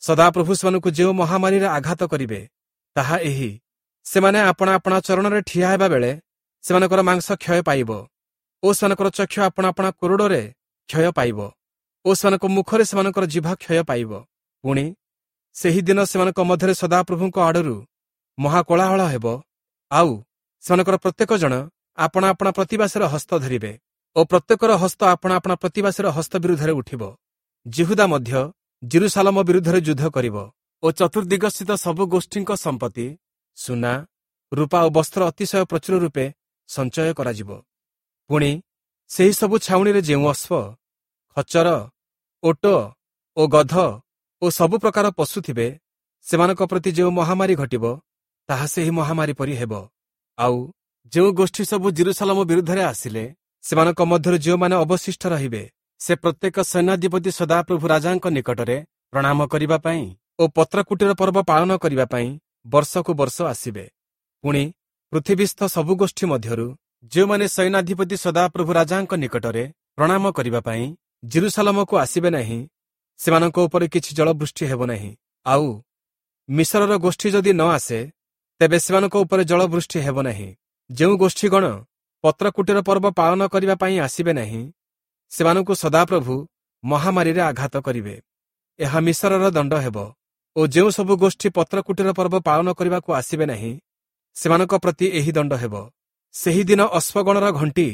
Speaker 1: ସଦାପ୍ରଭୁ ସେମାନଙ୍କୁ ଯେଉଁ ମହାମାରୀରେ ଆଘାତ କରିବେ, ତାହା ଏହି: ସେମାନେ ଆପଣା ଆପଣା ଚରଣରେ ଠିଆ ହେବା ବେଳେ ସେମାନଙ୍କର ମାଂସ କ୍ଷୟ ପାଇବ ଓ ସେମାନଙ୍କର ଚକ୍ଷୁ ଆପଣା ଆପଣା କୋରଡ଼ରେ କ୍ଷୟ ପାଇବ ଓ ସେମାନଙ୍କ ମୁଖରେ ସେମାନଙ୍କର ଜିଭ କ୍ଷୟ ପାଇବ। ପୁଣି ସେହିଦିନ ସେମାନଙ୍କ ମଧ୍ୟରେ ସଦାପ୍ରଭୁଙ୍କ ଆଡ଼ରୁ ମହାକୋଳାହଳ ହେବ, ଆଉ ସେମାନଙ୍କର ପ୍ରତ୍ୟେକ ଜଣ ଆପଣା ଆପଣା ପ୍ରତିବାସୀର ହସ୍ତ ଧରିବେ ଓ ପ୍ରତ୍ୟେକର ହସ୍ତ ଆପଣା ଆପଣା ପ୍ରତିବାସୀର ହସ୍ତ ବିରୁଦ୍ଧରେ ଉଠିବ। ଯିହୁଦା ମଧ୍ୟ ଯିରୂଶାଲମ ବିରୁଦ୍ଧରେ ଯୁଦ୍ଧ କରିବ ଓ ଚତୁର୍ଦିଗସ୍ଥିତ ସବୁ ଗୋଷ୍ଠୀଙ୍କ ସମ୍ପତ୍ତି, ସୁନା, ରୂପା ଓ ବସ୍ତ୍ର ଅତିଶୟ ପ୍ରଚୁର ରୂପେ ସଞ୍ଚୟ କରାଯିବ। ପୁଣି ସେହି ସବୁ ଛାଉଣିରେ ଯେଉଁ ଅଶ୍ୱ, ଖଚର, ଓଟ ଓ ଗଧ ଓ ସବୁ ପ୍ରକାର ପଶୁ ଥିବେ, ସେମାନଙ୍କ ପ୍ରତି ଯେଉଁ ମହାମାରୀ ଘଟିବ, ତାହା ସେହି ମହାମାରୀ ପରି ହେବ। ଆଉ ଯେଉଁ ଗୋଷ୍ଠୀ ସବୁ ଯିରୂଶାଲମ ବିରୁଦ୍ଧରେ ଆସିଲେ, ସେମାନଙ୍କ ମଧ୍ୟରୁ ଯେଉଁମାନେ ଅବଶିଷ୍ଟ ରହିବେ, ସେ ପ୍ରତ୍ୟେକ ସୈନ୍ୟାଧିପତି ସଦାପ୍ରଭୁ ରାଜାଙ୍କ ନିକଟରେ ପ୍ରଣାମ କରିବା ପାଇଁ ଓ ପତ୍ରକୁଟୀର ପର୍ବ ପାଳନ କରିବା ପାଇଁ ବର୍ଷକୁ ବର୍ଷ ଆସିବେ। ପୁଣି ପୃଥିବୀସ୍ଥ ସବୁ ଗୋଷ୍ଠୀ ମଧ୍ୟରୁ ଯେଉଁମାନେ ସୈନ୍ୟାଧିପତି ସଦାପ୍ରଭୁ ରାଜାଙ୍କ ନିକଟରେ ପ୍ରଣାମ କରିବା ପାଇଁ ଯିରୂଶାଲମକୁ ଆସିବେ ନାହିଁ, ସେମାନଙ୍କ ଉପରେ କିଛି ଜଳବୃଷ୍ଟି ହେବ ନାହିଁ। ଆଉ ମିଶରର ଗୋଷ୍ଠୀ ଯଦି ନ ଆସେ, ତେବେ ସେମାନଙ୍କ ଉପରେ ଜଳବୃଷ୍ଟି ହେବ ନାହିଁ। ଯେଉଁ ଗୋଷ୍ଠୀଗଣ ପତ୍ରକୁଟୀର ପର୍ବ ପାଳନ କରିବା ପାଇଁ ଆସିବେ ନାହିଁ, ସେମାନଙ୍କୁ ସଦାପ୍ରଭୁ ମହାମାରୀରେ ଆଘାତ କରିବେ। ଏହା ମିଶରର ଦଣ୍ଡ ହେବ। ଓ ଯେଉଁ ସବୁ ଗୋଷ୍ଠୀ ପତ୍ରକୁଟୀର ପର୍ବ ପାଳନ କରିବାକୁ ଆସିବେ ନାହିଁ, ସେମାନଙ୍କ ପ୍ରତି ଏହି ଦଣ୍ଡ ହେବ। ସେହିଦିନ ଅଶ୍ୱଗଣର ଘଣ୍ଟି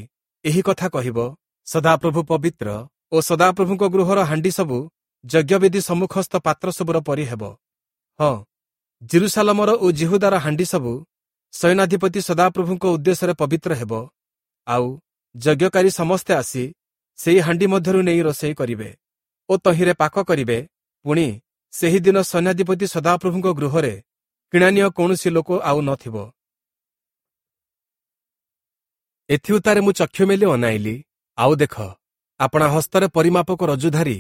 Speaker 1: ଏହି କଥା କହିବ, ସଦାପ୍ରଭୁ ପବିତ୍ର ଓ ସଦାପ୍ରଭୁଙ୍କ ଗୃହର ହାଣ୍ଡି ସବୁ ଯଜ୍ଞବେଦୀ ସମ୍ମୁଖସ୍ଥ ପାତ୍ର ସବୁର ପରି ହେବ। ହଁ, ଯିରୂଶାଲମର ଓ ଯିହୁଦାର ହାଣ୍ଡି ସବୁ ସୈନ୍ୟାଧିପତି ସଦାପ୍ରଭୁଙ୍କ ଉଦ୍ଦେଶ୍ୟରେ ପବିତ୍ର ହେବ। ଆଉ ଯଜ୍ଞକାରୀ ସମସ୍ତେ ଆସି ସେହି ହାଣ୍ଡି ମଧ୍ୟରୁ ନେଇ ରୋଷେଇ କରିବେ ଓ ତହିଁରେ ପାକ କରିବେ। ପୁଣି ସେହିଦିନ ସୈନ୍ୟାଧିପତି ସଦାପ୍ରଭୁଙ୍କ ଗୃହରେ କିଣାନୀୟ କୌଣସି ଲୋକ ଆଉ ନଥିବ। ଏଥିଉତ୍ତାରେ ମୁଁ ଚକ୍ଷୁ ମେଲି ଅନାଇଲି, ଆଉ ଦେଖ, ଆପଣା ହସ୍ତରେ ପରିମାପକ ରଜ୍ଜୁଧାରୀ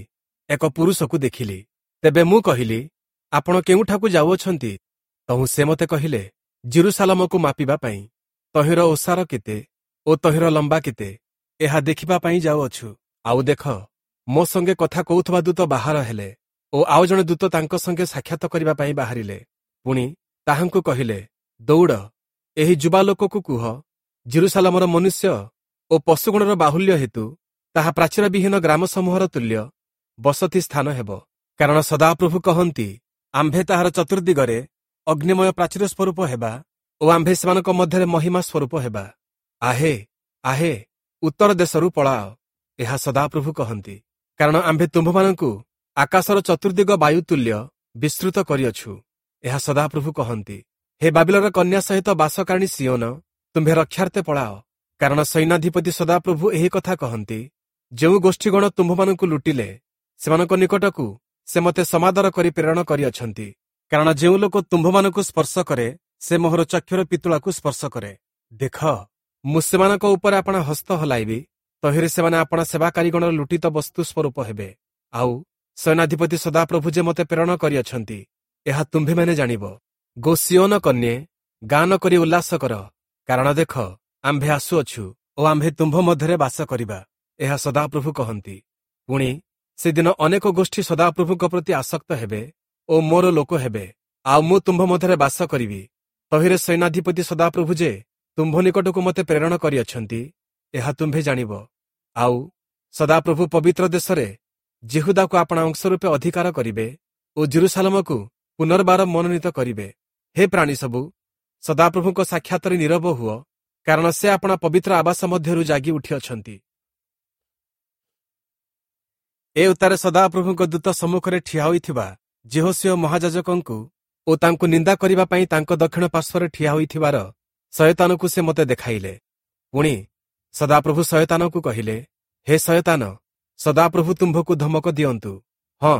Speaker 1: ଏକ ପୁରୁଷକୁ ଦେଖିଲି। ତେବେ ମୁଁ କହିଲି, ଆପଣ କେଉଁଠାକୁ ଯାଉଅଛନ୍ତି? ତହୁଁ ସେ ମୋତେ କହିଲେ, ଯିରୂଶାଲମକୁ ମାପିବା ପାଇଁ, ତହିଁର ଓସାର କେତେ ଓ ତହିଁର ଲମ୍ବା କେତେ, ଏହା ଦେଖିବା ପାଇଁ ଯାଉଅଛୁ। ଆଉ ଦେଖ, ମୋ ସଙ୍ଗେ କଥା କହୁଥିବା ଦୂତ ବାହାର ହେଲେ ଓ ଆଉ ଜଣେ ଦୂତ ତାଙ୍କ ସଙ୍ଗେ ସାକ୍ଷାତ କରିବା ପାଇଁ ବାହାରିଲେ। ପୁଣି ତାହାଙ୍କୁ କହିଲେ, ଦୌଡ଼, ଏହି ଯୁବା ଲୋକକୁ କୁହ, ଯିରୂଶାଲମର ମନୁଷ୍ୟ ଓ ପଶୁଗଣର ବାହୁଲ୍ୟ ହେତୁ ତାହା ପ୍ରାଚୀରବିହୀନ ଗ୍ରାମ ସମୂହର ତୁଲ୍ୟ ବସତି ସ୍ଥାନ ହେବ। କାରଣ ସଦାପ୍ରଭୁ କହନ୍ତି, ଆମ୍ଭେ ତାହାର ଚତୁର୍ଦିଗରେ ଅଗ୍ନିମୟ ପ୍ରାଚୀର ସ୍ୱରୂପ ହେବା ଓ ଆମ୍ଭେ ସେମାନଙ୍କ ମଧ୍ୟରେ ମହିମା ସ୍ୱରୂପ ହେବା। ଆହେ ଆହେ, ଉତ୍ତର ଦେଶରୁ ପଳାଅ, ଏହା ସଦାପ୍ରଭୁ କହନ୍ତି। କାରଣ ଆମ୍ଭେ ତୁମ୍ଭମାନଙ୍କୁ ଆକାଶର ଚତୁର୍ଦିଗ ବାୟୁ ତୁଲ୍ୟ ବିସ୍ତୃତ କରିଅଛୁ, ଏହା ସଦାପ୍ରଭୁ କହନ୍ତି। ହେ ବାବିଲର କନ୍ୟା ସହିତ ବାସକାରିଣୀ ସିଓନ, ତୁମ୍ଭେ ରକ୍ଷାର୍ଥେ ପଳାଅ। କାରଣ ସୈନ୍ୟାଧିପତି ସଦାପ୍ରଭୁ ଏହି କଥା କହନ୍ତି, ଯେଉଁ ଗୋଷ୍ଠୀଗଣ ତୁମ୍ଭମାନଙ୍କୁ ଲୁଟିଲେ, ସେମାନଙ୍କ ନିକଟକୁ ସେ ମୋତେ ସମାଦର କରି ପ୍ରେରଣ କରିଅଛନ୍ତି। କାରଣ ଯେଉଁ ଲୋକ ତୁମ୍ଭମାନଙ୍କୁ ସ୍ପର୍ଶ କରେ, ସେ ମୋହର ଚକ୍ଷୁର ପିତୁଳାକୁ ସ୍ପର୍ଶ କରେ। ଦେଖ, ମୁଁ ସେମାନଙ୍କ ଉପରେ ଆପଣା ହସ୍ତ ହଲାଇବି, ତହିଁରେ ସେମାନେ ଆପଣା ସେବାକାରୀଗଣର ଲୁଟିତ ବସ୍ତୁ ସ୍ୱରୂପ ହେବେ। ଆଉ ସୈନ୍ୟାଧିପତି ସଦାପ୍ରଭୁ ଯେ ମୋତେ ପ୍ରେରଣ କରିଅଛନ୍ତି, ଏହା ତୁମ୍ଭେମାନେ ଜାଣିବ। ଗୋ ସିଓନ କନ୍ୟେ, ଗାନ କରି ଉଲ୍ଲାସ କର, କାରଣ ଦେଖ, ଆମ୍ଭେ ଆସୁଅଛୁ ଓ ଆମ୍ଭେ ତୁମ୍ଭ ମଧ୍ୟରେ ବାସ କରିବା, ଏହା ସଦାପ୍ରଭୁ କହନ୍ତି। ପୁଣି ସେଦିନ ଅନେକ ଗୋଷ୍ଠୀ ସଦାପ୍ରଭୁଙ୍କ ପ୍ରତି ଆସକ୍ତ ହେବେ ଓ ମୋର ଲୋକ ହେବେ, ଆଉ ମୁଁ ତୁମ୍ଭ ମଧ୍ୟରେ ବାସ କରିବି। ତହିଁରେ ସୈନ୍ୟାଧିପତି ସଦାପ୍ରଭୁ ଯେ ତୁମ୍ଭ ନିକଟକୁ ମୋତେ ପ୍ରେରଣ କରିଅଛନ୍ତି, ଏହା ତୁମ୍ଭେ ଜାଣିବ। ଆଉ ସଦାପ୍ରଭୁ ପବିତ୍ର ଦେଶରେ ଯିହୁଦାକୁ ଆପଣା ଅଂଶ ରୂପେ ଅଧିକାର କରିବେ ଓ ଜେରୁସାଲମକୁ ପୁନର୍ବାର ମନୋନୀତ କରିବେ। ହେ ପ୍ରାଣୀ ସବୁ, ସଦାପ୍ରଭୁଙ୍କ ସାକ୍ଷାତରେ ନୀରବ ହୁଅ, କାରଣ ସେ ଆପଣା ପବିତ୍ର ଆବାସ ମଧ୍ୟରୁ ଜାଗି ଉଠିଅଛନ୍ତି। ଏ ଉତ୍ତାରେ ସଦାପ୍ରଭୁଙ୍କ ଦୂତ ସମ୍ମୁଖରେ ଠିଆ ହୋଇଥିବା ଯିହୋଶୂୟ ମହାଯାଜକଙ୍କୁ ଓ ତାଙ୍କୁ ନିନ୍ଦା କରିବା ପାଇଁ ତାଙ୍କ ଦକ୍ଷିଣ ପାର୍ଶ୍ୱରେ ଠିଆ ହୋଇଥିବାର ଶୟତାନକୁ ସେ ମୋତେ ଦେଖାଇଲେ। ପୁଣି ସଦାପ୍ରଭୁ ଶୟତାନକୁ କହିଲେ, ହେ ଶୟତାନ, ସଦାପ୍ରଭୁ ତୁମ୍ଭକୁ ଧମକ ଦିଅନ୍ତୁ। ହଁ,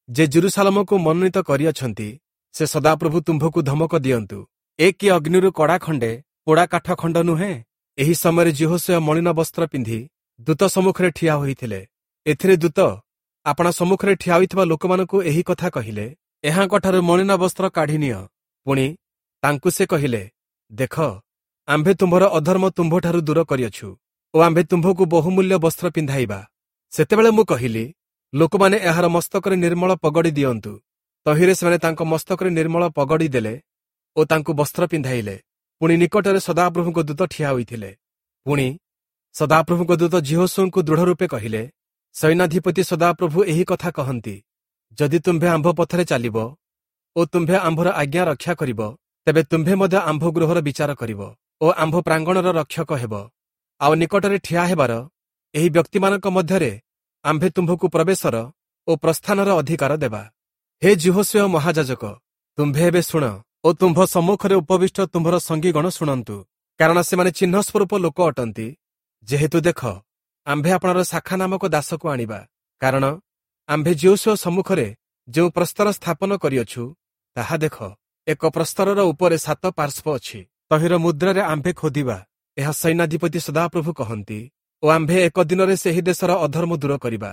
Speaker 1: ଯେ ଜେରୁସାଲମକୁ ମନୋନୀତ କରିଅଛନ୍ତି, ସେ ସଦାପ୍ରଭୁ ତୁମ୍ଭକୁ ଧମକ ଦିଅନ୍ତୁ। ଏ କି ଅଗ୍ନିରୁ କଡ଼ା ଖଣ୍ଡେ ପୋଡ଼ା କାଠ ଖଣ୍ଡ ନୁହେଁ? ଏହି ସମୟରେ ଯିହୋଶୂୟ ମଳିନ ବସ୍ତ୍ର ପିନ୍ଧି ଦୂତ ସମ୍ମୁଖରେ ଠିଆ ହୋଇଥିଲେ। ଏଥିରେ ଦୂତ ଆପଣା ସମ୍ମୁଖରେ ଠିଆ ହୋଇଥିବା ଲୋକମାନଙ୍କୁ ଏହି କଥା କହିଲେ, ଏହାଙ୍କଠାରୁ ମଳିନ ବସ୍ତ୍ର କାଢ଼ି ନିଅ। ପୁଣି ତାଙ୍କୁ ସେ କହିଲେ, ଦେଖ, ଆମ୍ଭେ ତୁମ୍ଭର ଅଧର୍ମ ତୁମ୍ଭଠାରୁ ଦୂର କରିଅଛୁ ଓ ଆମ୍ଭେ ତୁମ୍ଭକୁ ବହୁମୂଲ୍ୟ ବସ୍ତ୍ର ପିନ୍ଧାଇବା। ସେତେବେଳେ ମୁଁ କହିଲି, ଲୋକମାନେ ଏହାର ମସ୍ତକରେ ନିର୍ମଳ ପଗଡ଼ି ଦିଅନ୍ତୁ। ତହିଁରେ ସେମାନେ ତାଙ୍କ ମସ୍ତକରେ ନିର୍ମଳ ପଗଡ଼ି ଦେଲେ ଓ ତାଙ୍କୁ ବସ୍ତ୍ର ପିନ୍ଧାଇଲେ। ପୁଣି ନିକଟରେ ସଦାପ୍ରଭୁଙ୍କ ଦୂତ ଠିଆ ହୋଇଥିଲେ। ପୁଣି ସଦାପ୍ରଭୁଙ୍କ ଦୂତ ଯିହୋଶୂୟଙ୍କୁ ଦୃଢ଼ ରୂପେ କହିଲେ, ସୈନ୍ୟାଧିପତି ସଦାପ୍ରଭୁ ଏହି କଥା କହନ୍ତି, ଯଦି ତୁମ୍ଭେ ଆମ୍ଭ ପଥରେ ଚାଲିବ ଓ ତୁମ୍ଭେ ଆମ୍ଭର ଆଜ୍ଞା ରକ୍ଷା କରିବ, ତେବେ ତୁମ୍ଭେ ମଧ୍ୟ ଆମ୍ଭ ଗୃହର ବିଚାର କରିବ ଓ ଆମ୍ଭ ପ୍ରାଙ୍ଗଣର ରକ୍ଷକ ହେବ। ଆଉ ନିକଟରେ ଠିଆ ହେବାର ଏହି ବ୍ୟକ୍ତିମାନଙ୍କ ମଧ୍ୟରେ ଆମ୍ଭେ ତୁମ୍ଭକୁ ପ୍ରବେଶର ଓ ପ୍ରସ୍ଥାନର ଅଧିକାର ଦେବା। ହେ ଯିହୋଶୂୟ ମହାଯାଜକ, ତୁମ୍ଭେ ଏବେ ଶୁଣ ଓ ତୁମ୍ଭ ସମ୍ମୁଖରେ ଉପବିଷ୍ଟ ତୁମ୍ଭର ସଙ୍ଗୀଗଣ ଶୁଣନ୍ତୁ, କାରଣ ସେମାନେ ଚିହ୍ନ ସ୍ୱରୂପ ଲୋକ ଅଟନ୍ତି। ଯେହେତୁ ଦେଖ, ଆମ୍ଭେ ଆପଣାର ଶାଖା ନାମକ ଦାସକୁ ଆଣିବା, କାରଣ ଆମ୍ଭେ ଯିହୋଶୂୟ ସମ୍ମୁଖରେ ଯେଉଁ ପ୍ରସ୍ତର ସ୍ଥାପନ କରିଅଛୁ, ତାହା ଦେଖ, ଏକ ପ୍ରସ୍ତରର ଉପରେ ସାତ ପାର୍ଶ୍ୱ ଅଛି, ତହିଁର ମୁଦ୍ରାରେ ଆମ୍ଭେ ଖୋଦିବା। ଏହା ସୈନ୍ୟାଧିପତି ସଦାପ୍ରଭୁ କହନ୍ତି, ଓ ଆମ୍ଭେ ଏକ ଦିନରେ ସେହି ଦେଶର ଅଧର୍ମ ଦୂର କରିବା।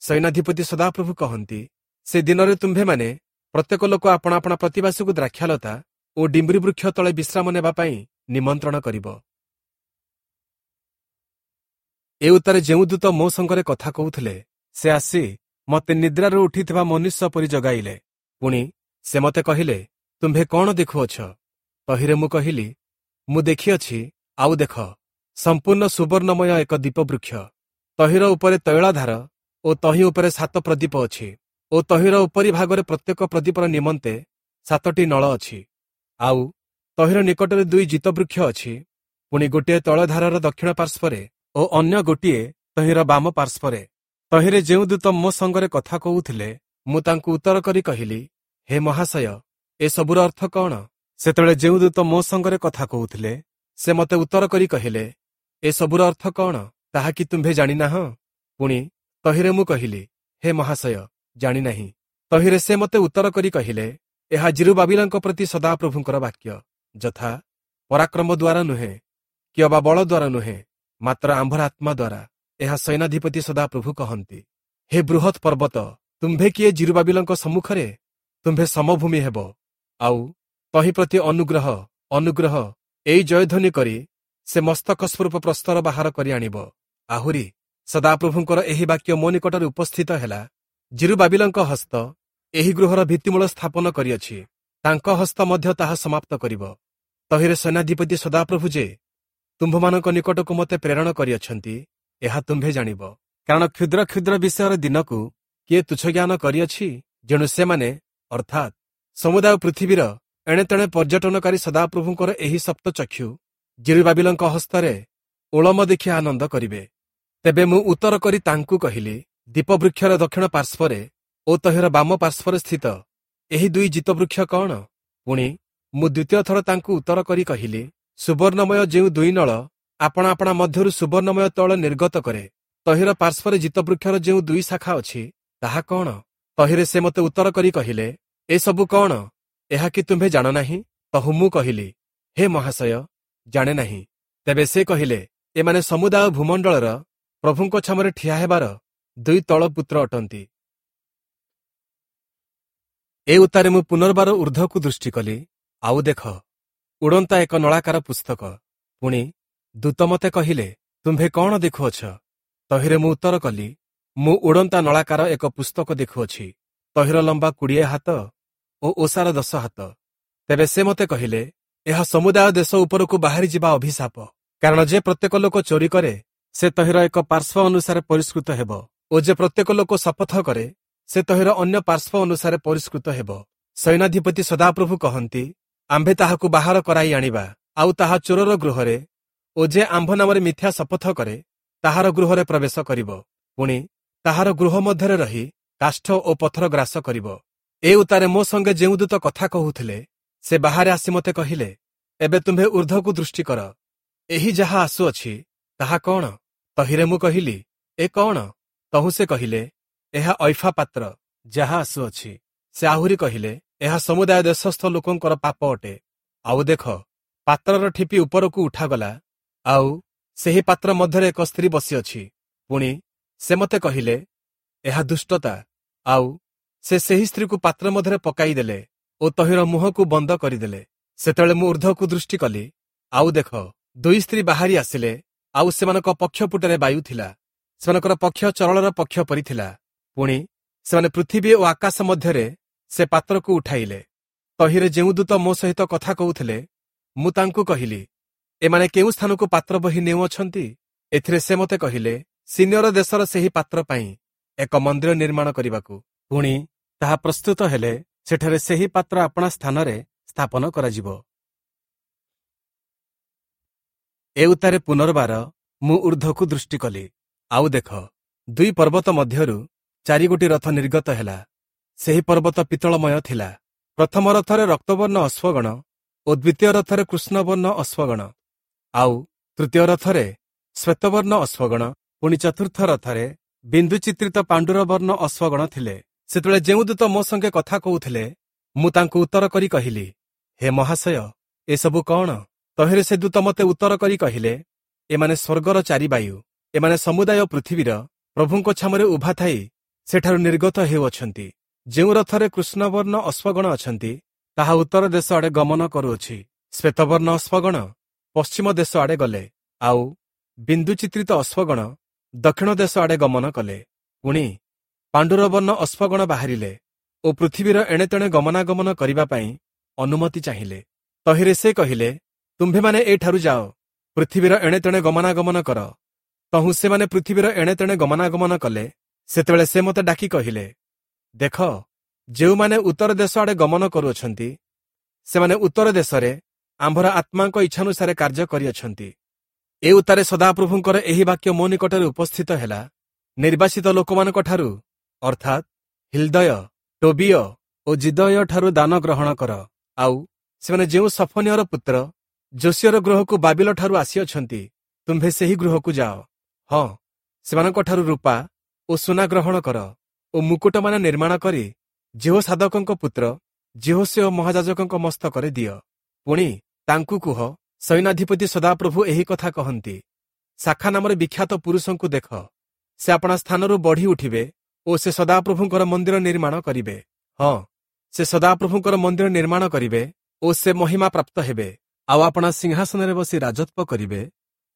Speaker 1: ସୈନ୍ୟାଧିପତି ସଦାପ୍ରଭୁ କହନ୍ତି, ସେ ଦିନରେ ତୁମ୍ଭେମାନେ ପ୍ରତ୍ୟେକ ଲୋକ ଆପଣା ଆପଣା ପ୍ରତିବାସୀକୁ ଦ୍ରାକ୍ଷାଲତା ଓ ଡିମ୍ବିରି ବୃକ୍ଷ ତଳେ ବିଶ୍ରାମ ନେବା ପାଇଁ ନିମନ୍ତ୍ରଣ କରିବ। ଏ ଉତ୍ତାରେ ଯେଉଁ ଦୂତ ମୋ ସଙ୍ଗରେ କଥା କହୁଥିଲେ, ସେ ଆସି ମୋତେ ନିଦ୍ରାରୁ ଉଠିଥିବା ମନୁଷ୍ୟ ପରି ଜଗାଇଲେ। ପୁଣି ସେ ମୋତେ କହିଲେ, ତୁମ୍ଭେ କ'ଣ ଦେଖୁଅଛ? ତହିଁରେ ମୁଁ କହିଲି, ମୁଁ ଦେଖିଅଛି, ଆଉ ଦେଖ, ସମ୍ପୂର୍ଣ୍ଣ ସୁବର୍ଣ୍ଣମୟ ଏକ ଦୀପବୃକ୍ଷ। ତହିଁର ଉପରେ ତୈଳାଧାର ଓ ତହିଁ ଉପରେ ସାତ ପ୍ରଦୀପ ଅଛି ଓ ତହିଁର ଉପରି ଭାଗରେ ପ୍ରତ୍ୟେକ ପ୍ରଦୀପର ନିମନ୍ତେ ସାତଟି ନଳ ଅଛି। ଆଉ ତହିଁର ନିକଟରେ ଦୁଇ ଜିତବୃକ୍ଷ ଅଛି, ପୁଣି ଗୋଟିଏ ତୈଳଧାରର ଦକ୍ଷିଣ ପାର୍ଶ୍ୱରେ ଓ ଅନ୍ୟ ଗୋଟିଏ ତହିଁର ବାମ ପାର୍ଶ୍ୱରେ। ତହିଁରେ ଯେଉଁ ଦୂତ ମୋ ସଙ୍ଗରେ କଥା କହୁଥିଲେ, ମୁଁ ତାଙ୍କୁ ଉତ୍ତର କରି କହିଲି, ହେ ମହାଶୟ, ଏସବୁର ଅର୍ଥ କ'ଣ? ସେତେବେଳେ ଯେଉଁ ଦୂତ ମୋ ସଙ୍ଗରେ କଥା କହୁଥିଲେ, ସେ ମୋତେ ଉତ୍ତର କରି କହିଲେ, ଏସବୁର ଅର୍ଥ କ'ଣ, ତାହା କି ତୁମ୍ଭେ ଜାଣିନାହଁ? ପୁଣି ତହିଁରେ ମୁଁ କହିଲି, ହେ ମହାଶୟ, ଜାଣିନାହିଁ। ତହିଁରେ ସେ ମୋତେ ଉତ୍ତର କରି କହିଲେ, ଏହା ଜିରୁବାବିଲଙ୍କ ପ୍ରତି ସଦାପ୍ରଭୁଙ୍କର ବାକ୍ୟ, ଯଥା ପରାକ୍ରମ ଦ୍ୱାରା ନୁହେଁ କି ଅବା ବଳ ଦ୍ୱାରା ନୁହେଁ, ମାତ୍ର ଆମ୍ଭର ଆତ୍ମା ଦ୍ୱାରା, ଏହା ସୈନ୍ୟାଧିପତି ସଦାପ୍ରଭୁ କହନ୍ତି। ହେ ବୃହତ୍ ପର୍ବତ, ତୁମ୍ଭେ କିଏ ଜିରୁବାବିଲଙ୍କ ସମ୍ମୁଖରେ? ତୁମ୍ଭେ ସମଭୂମି ହେବ, ଆଉ ତହିଁ ପ୍ରତି ଅନୁଗ୍ରହ ଅନୁଗ୍ରହ ଏଇ ଜୟଧ୍ୱନି କରି ସେ ମସ୍ତକ ସ୍ୱରୂପ ପ୍ରସ୍ତର ବାହାର କରି ଆଣିବ। ଆହୁରି ସଦାପ୍ରଭୁଙ୍କର ଏହି ବାକ୍ୟ ମୋ ନିକଟରେ ଉପସ୍ଥିତ ହେଲା, ଜିରୁବାବିଲଙ୍କ ହସ୍ତ ଏହି ଗୃହର ଭିତ୍ତିମୂଳ ସ୍ଥାପନ କରିଅଛି, ତାଙ୍କ ହସ୍ତ ମଧ୍ୟ ତାହା ସମାପ୍ତ କରିବ। ତହିଁରେ ସୈନ୍ୟାଧିପତି ସଦାପ୍ରଭୁ ଯେ ତୁମ୍ଭମାନଙ୍କ ନିକଟକୁ ମୋତେ ପ୍ରେରଣ କରିଅଛନ୍ତି, ଏହା ତୁମ୍ଭେ ଜାଣିବ। କାରଣ କ୍ଷୁଦ୍ର କ୍ଷୁଦ୍ର ବିଷୟର ଦିନକୁ କିଏ ତୁଚ୍ଛ ଜ୍ଞାନ କରିଅଛି? ଯେଣୁ ସେମାନେ, ଅର୍ଥାତ୍ ସମୁଦାୟ ପୃଥିବୀର ଏଣେତେଣେ ପର୍ଯ୍ୟଟନକାରୀ ସଦାପ୍ରଭୁଙ୍କର ଏହି ସପ୍ତଚକ୍ଷୁ ଜିରୁବାବିଲଙ୍କ ହସ୍ତରେ ଓଳମ ଦେଖି ଆନନ୍ଦ କରିବେ। ତେବେ ମୁଁ ଉତ୍ତର କରି ତାଙ୍କୁ କହିଲି, ଦୀପବୃକ୍ଷର ଦକ୍ଷିଣ ପାର୍ଶ୍ୱରେ ଓ ତହିଁର ବାମ ପାର୍ଶ୍ୱରେ ସ୍ଥିତ ଏହି ଦୁଇ ଜିତବୃକ୍ଷ କ'ଣ? ପୁଣି ମୁଁ ଦ୍ୱିତୀୟ ଥର ତାଙ୍କୁ ଉତ୍ତର କରି କହିଲି, ସୁବର୍ଣ୍ଣମୟ ଯେଉଁ ଦୁଇ ନଳ ଆପଣା ଆପଣା ମଧ୍ୟରୁ ସୁବର୍ଣ୍ଣମୟ ତୈଳ ନିର୍ଗତ କରେ, ତହିଁର ପାର୍ଶ୍ୱରେ ଜିତବୃକ୍ଷର ଯେଉଁ ଦୁଇ ଶାଖା ଅଛି ତାହା କ'ଣ? ତହିଁରେ ସେ ମୋତେ ଉତ୍ତର କରି କହିଲେ, ଏସବୁ କ'ଣ, ଏହା କି ତୁମ୍ଭେ ଜାଣ ନାହିଁ? ତହୁଁ ମୁଁ କହିଲି, ହେ ମହାଶୟ, ଜାଣେ ନାହିଁ। ତେବେ ସେ କହିଲେ, ଏମାନେ ସମୁଦାୟ ଭୂମଣ୍ଡଳର ପ୍ରଭୁଙ୍କ ଛାମରେ ଠିଆ ହେବାର ଦୁଇ ତଳ ପୁତ୍ର ଅଟନ୍ତି। ଏ ଉତ୍ତାରେ ମୁଁ ପୁନର୍ବାର ଉର୍ଦ୍ଧ୍ୱକୁ ଦୃଷ୍ଟି କଲି, ଆଉ ଦେଖ, ଉଡ଼ନ୍ତା ଏକ ନଳାକାର ପୁସ୍ତକ। ପୁଣି ଦୂତ ମୋତେ କହିଲେ, ତୁମ୍ଭେ କ'ଣ ଦେଖୁଅଛ? ତହିଁରେ ମୁଁ ଉତ୍ତର କଲି, ମୁଁ ଉଡ଼ନ୍ତା ନଳାକାର ଏକ ପୁସ୍ତକ ଦେଖୁଅଛି, ତହିଁର ଲମ୍ବା କୋଡ଼ିଏ ହାତ ଓ ଓସାର ଦଶ ହାତ। ତେବେ ସେ ମୋତେ କହିଲେ, ଏହା ସମୁଦାୟ ଦେଶ ଉପରକୁ ବାହାରି ଯିବା ଅଭିଶାପ, କାରଣ ଯେ ପ୍ରତ୍ୟେକ ଲୋକ ଚୋରି କରେ ସେ ତହିଁର ଏକ ପାର୍ଶ୍ୱ ଅନୁସାରେ ପରିଷ୍କୃତ ହେବ, ଓ ଯେ ପ୍ରତ୍ୟେକ ଲୋକ ଶପଥ କରେ ସେ ତହିଁର ଅନ୍ୟ ପାର୍ଶ୍ୱ ଅନୁସାରେ ପରିଷ୍କୃତ ହେବ। ସୈନ୍ୟାଧିପତି ସଦାପ୍ରଭୁ କହନ୍ତି, ଆମ୍ଭେ ତାହାକୁ ବାହାର କରାଇ ଆଣିବା, ଆଉ ତାହା ଚୋରର ଗୃହରେ ଓ ଯେ ଆମ୍ଭ ନାମରେ ମିଥ୍ୟା ଶପଥ କରେ ତାହାର ଗୃହରେ ପ୍ରବେଶ କରିବ, ପୁଣି ତାହାର ଗୃହ ମଧ୍ୟରେ ରହି କାଷ୍ଠ ଓ ପଥର ଗ୍ରାସ କରିବ। ଏ ଉତ୍ତାରେ ମୋ ସଙ୍ଗେ ଯେଉଁ ଦୂତ କଥା କହୁଥିଲେ ସେ ବାହାରେ ଆସି ମୋତେ କହିଲେ, ଏବେ ତୁମ୍ଭେ ଉର୍ଦ୍ଧ୍ୱକୁ ଦୃଷ୍ଟି କର, ଏହି ଯାହା ଆସୁଅଛି ତାହା କ'ଣ? ତହିଁରେ ମୁଁ କହିଲି, ଏ କ'ଣ? ତହୁଁ ସେ କହିଲେ, ଏହା ଐଫା ପାତ୍ର ଯାହା ଆସୁଅଛି। ସେ ଆହୁରି କହିଲେ, ଏହା ସମୁଦାୟ ଦେଶସ୍ଥ ଲୋକଙ୍କର ପାପ ଅଟେ। ଆଉ ଦେଖ, ପାତ୍ରର ଠିପି ଉପରକୁ ଉଠାଗଲା, ଆଉ ସେହି ପାତ୍ର ମଧ୍ୟରେ ଏକ ସ୍ତ୍ରୀ ବସିଅଛି। ପୁଣି ସେ ମୋତେ କହିଲେ, ଏହା ଦୁଷ୍ଟତା। ଆଉ ସେ ସେହି ସ୍ତ୍ରୀକୁ ପାତ୍ର ମଧ୍ୟରେ ପକାଇଦେଲେ ଓ ତହିଁର ମୁହଁକୁ ବନ୍ଦ କରିଦେଲେ। ସେତେବେଳେ ମୁଁ ଉର୍ଦ୍ଧ୍ୱକୁ ଦୃଷ୍ଟି କଲି, ଆଉ ଦେଖ, ଦୁଇ ସ୍ତ୍ରୀ ବାହାରି ଆସିଲେ, ଆଉ ସେମାନଙ୍କ ପକ୍ଷପୁଟରେ ବାୟୁ ଥିଲା, ସେମାନଙ୍କର ପକ୍ଷ ଚରଳର ପକ୍ଷ ପରି ଥିଲା। ପୁଣି ସେମାନେ ପୃଥିବୀ ଓ ଆକାଶ ମଧ୍ୟରେ ସେ ପାତ୍ରକୁ ଉଠାଇଲେ। ତହିଁରେ ଯେଉଁ ଦୂତ ମୋ ସହିତ କଥା କହୁଥିଲେ, ମୁଁ ତାଙ୍କୁ କହିଲି, ଏମାନେ କେଉଁ ସ୍ଥାନକୁ ପାତ୍ର ବହି ନେଉଅଛନ୍ତି? ଏଥିରେ ସେ ମୋତେ କହିଲେ, ସିନିୟର ଦେଶର ସେହି ପାତ୍ର ପାଇଁ ଏକ ମନ୍ଦିର ନିର୍ମାଣ କରିବାକୁ। ପୁଣି ତାହା ପ୍ରସ୍ତୁତ ହେଲେ ସେଠାରେ ସେହି ପାତ୍ର ଆପଣା ସ୍ଥାନରେ ସ୍ଥାପନ କରାଯିବ। ଏ ଉତ୍ତାରେ ପୁନର୍ବାର ମୁଁ ଉର୍ଦ୍ଧ୍ୱକୁ ଦୃଷ୍ଟି କଲି, ଆଉ ଦେଖ, ଦୁଇ ପର୍ବତ ମଧ୍ୟରୁ ଚାରିଗୋଟି ରଥ ନିର୍ଗତ ହେଲା। ସେହି ପର୍ବତ ପିତ୍ତଳମୟ ଥିଲା। ପ୍ରଥମ ରଥରେ ରକ୍ତବର୍ଣ୍ଣ ଅଶ୍ୱଗଣ ଓ ଦ୍ୱିତୀୟ ରଥରେ କୃଷ୍ଣବର୍ଣ୍ଣ ଅଶ୍ୱଗଣ, ଆଉ ତୃତୀୟ ରଥରେ ଶ୍ୱେତବର୍ଣ୍ଣ ଅଶ୍ୱଗଣ, ପୁଣି ଚତୁର୍ଥ ରଥରେ ବିନ୍ଦୁ ଚିତ୍ରିତ ପାଣ୍ଡୁରବର୍ଣ୍ଣ ଅଶ୍ୱଗଣ ଥିଲେ। ସେତେବେଳେ ଯେଉଁ ଦୂତ ମୋ ସଙ୍ଗେ କଥା କହୁଥିଲେ, ମୁଁ ତାଙ୍କୁ ଉତ୍ତର କରି କହିଲି, ହେ ମହାଶୟ, ଏସବୁ କ'ଣ? ତହିଁରେ ସେ ଦୂତ ମୋତେ ଉତ୍ତର କରି କହିଲେ, ଏମାନେ ସ୍ୱର୍ଗର ଚାରି ବାୟୁ, ଏମାନେ ସମୁଦାୟ ପୃଥିବୀର ପ୍ରଭୁଙ୍କ ଛାମରେ ଉଭା ଥାଇ ସେଠାରୁ ନିର୍ଗତ ହେଉଅଛନ୍ତି। ଯେଉଁ ରଥରେ କୃଷ୍ଣବର୍ଣ୍ଣ ଅଶ୍ୱଗଣ ଅଛନ୍ତି, ତାହା ଉତ୍ତର ଦେଶ ଆଡ଼େ ଗମନ କରୁଅଛି। ଶ୍ୱେତବର୍ଣ୍ଣ ଅଶ୍ୱଗଣ ପଶ୍ଚିମ ଦେଶ ଆଡ଼େ ଗଲେ, ଆଉ ବିନ୍ଦୁ ଚିତ୍ରିତ ଅଶ୍ୱଗଣ ଦକ୍ଷିଣ ଦେଶ ଆଡ଼େ ଗମନ କଲେ। ପୁଣି ପାଣ୍ଡୁରବର୍ଣ୍ଣ ଅଶ୍ୱଗଣ ବାହାରିଲେ ଓ ପୃଥିବୀର ଏଣେତେଣେ ଗମନାଗମନ କରିବା ପାଇଁ ଅନୁମତି ଚାହିଁଲେ। ତହିଁରେ ସେ କହିଲେ, ତୁମ୍ଭେମାନେ ଏଠାରୁ ଯାଅ, ପୃଥିବୀର ଏଣେତେଣେ ଗମନାଗମନ କର। ତହୁଁ ସେମାନେ ପୃଥିବୀର ଏଣେତେଣେ ଗମନାଗମନ କଲେ। ସେତେବେଳେ ସେ ମୋତେ ଡାକି କହିଲେ, ଦେଖ, ଯେଉଁମାନେ ଉତ୍ତର ଦେଶ ଆଡ଼େ ଗମନ କରୁଅଛନ୍ତି, ସେମାନେ ଉତ୍ତର ଦେଶରେ ଆମ୍ଭର ଆତ୍ମାଙ୍କ ଇଚ୍ଛାନୁସାରେ କାର୍ଯ୍ୟ କରିଅଛନ୍ତି। ଏ ଉତ୍ତାରେ ସଦାପ୍ରଭୁଙ୍କର ଏହି ବାକ୍ୟ ମୋ ନିକଟରେ ଉପସ୍ଥିତ ହେଲା, ନିର୍ବାସିତ ଲୋକମାନଙ୍କଠାରୁ, ଅର୍ଥାତ୍ ହିଲ୍ଦୟ, ଟୋବିୟ ଓ ଜିଦୟ ଠାରୁ ଦାନ ଗ୍ରହଣ କର। ଆଉ ସେମାନେ ଯେଉଁ ସଫନିୟର ପୁତ୍ର ଯୋଶିୟର ଗୃହକୁ ବାବିଲ ଠାରୁ ଆସିଅଛନ୍ତି, ତୁମ୍ଭେ ସେହି ଗୃହକୁ ଯାଅ। ହଁ, ସେମାନଙ୍କଠାରୁ ରୂପା ଓ ସୁନା ଗ୍ରହଣ କର ଓ ମୁକୁଟମାନ ନିର୍ମାଣ କରି ଯିହୋସାଦକଙ୍କ ପୁତ୍ର ଯିହୋଶୂୟ ମହାଯାଜକଙ୍କ ମସ୍ତକରେ ଦିଅ। ପୁଣି ତାଙ୍କୁ କୁହ, ସୈନ୍ୟାଧିପତି ସଦାପ୍ରଭୁ ଏହି କଥା କହନ୍ତି, ଶାଖା ନାମରେ ବିଖ୍ୟାତ ପୁରୁଷଙ୍କୁ ଦେଖ, ସେ ଆପଣା ସ୍ଥାନରୁ ବଢ଼ି ଉଠିବେ ଓ ସେ ସଦାପ୍ରଭୁଙ୍କର ମନ୍ଦିର ନିର୍ମାଣ କରିବେ। ହଁ, ସେ ସଦାପ୍ରଭୁଙ୍କର ମନ୍ଦିର ନିର୍ମାଣ କରିବେ ଓ ସେ ମହିମା ପ୍ରାପ୍ତ ହେବେ, ଆଉ ଆପଣା ସିଂହାସନରେ ବସି ରାଜତ୍ୱ କରିବେ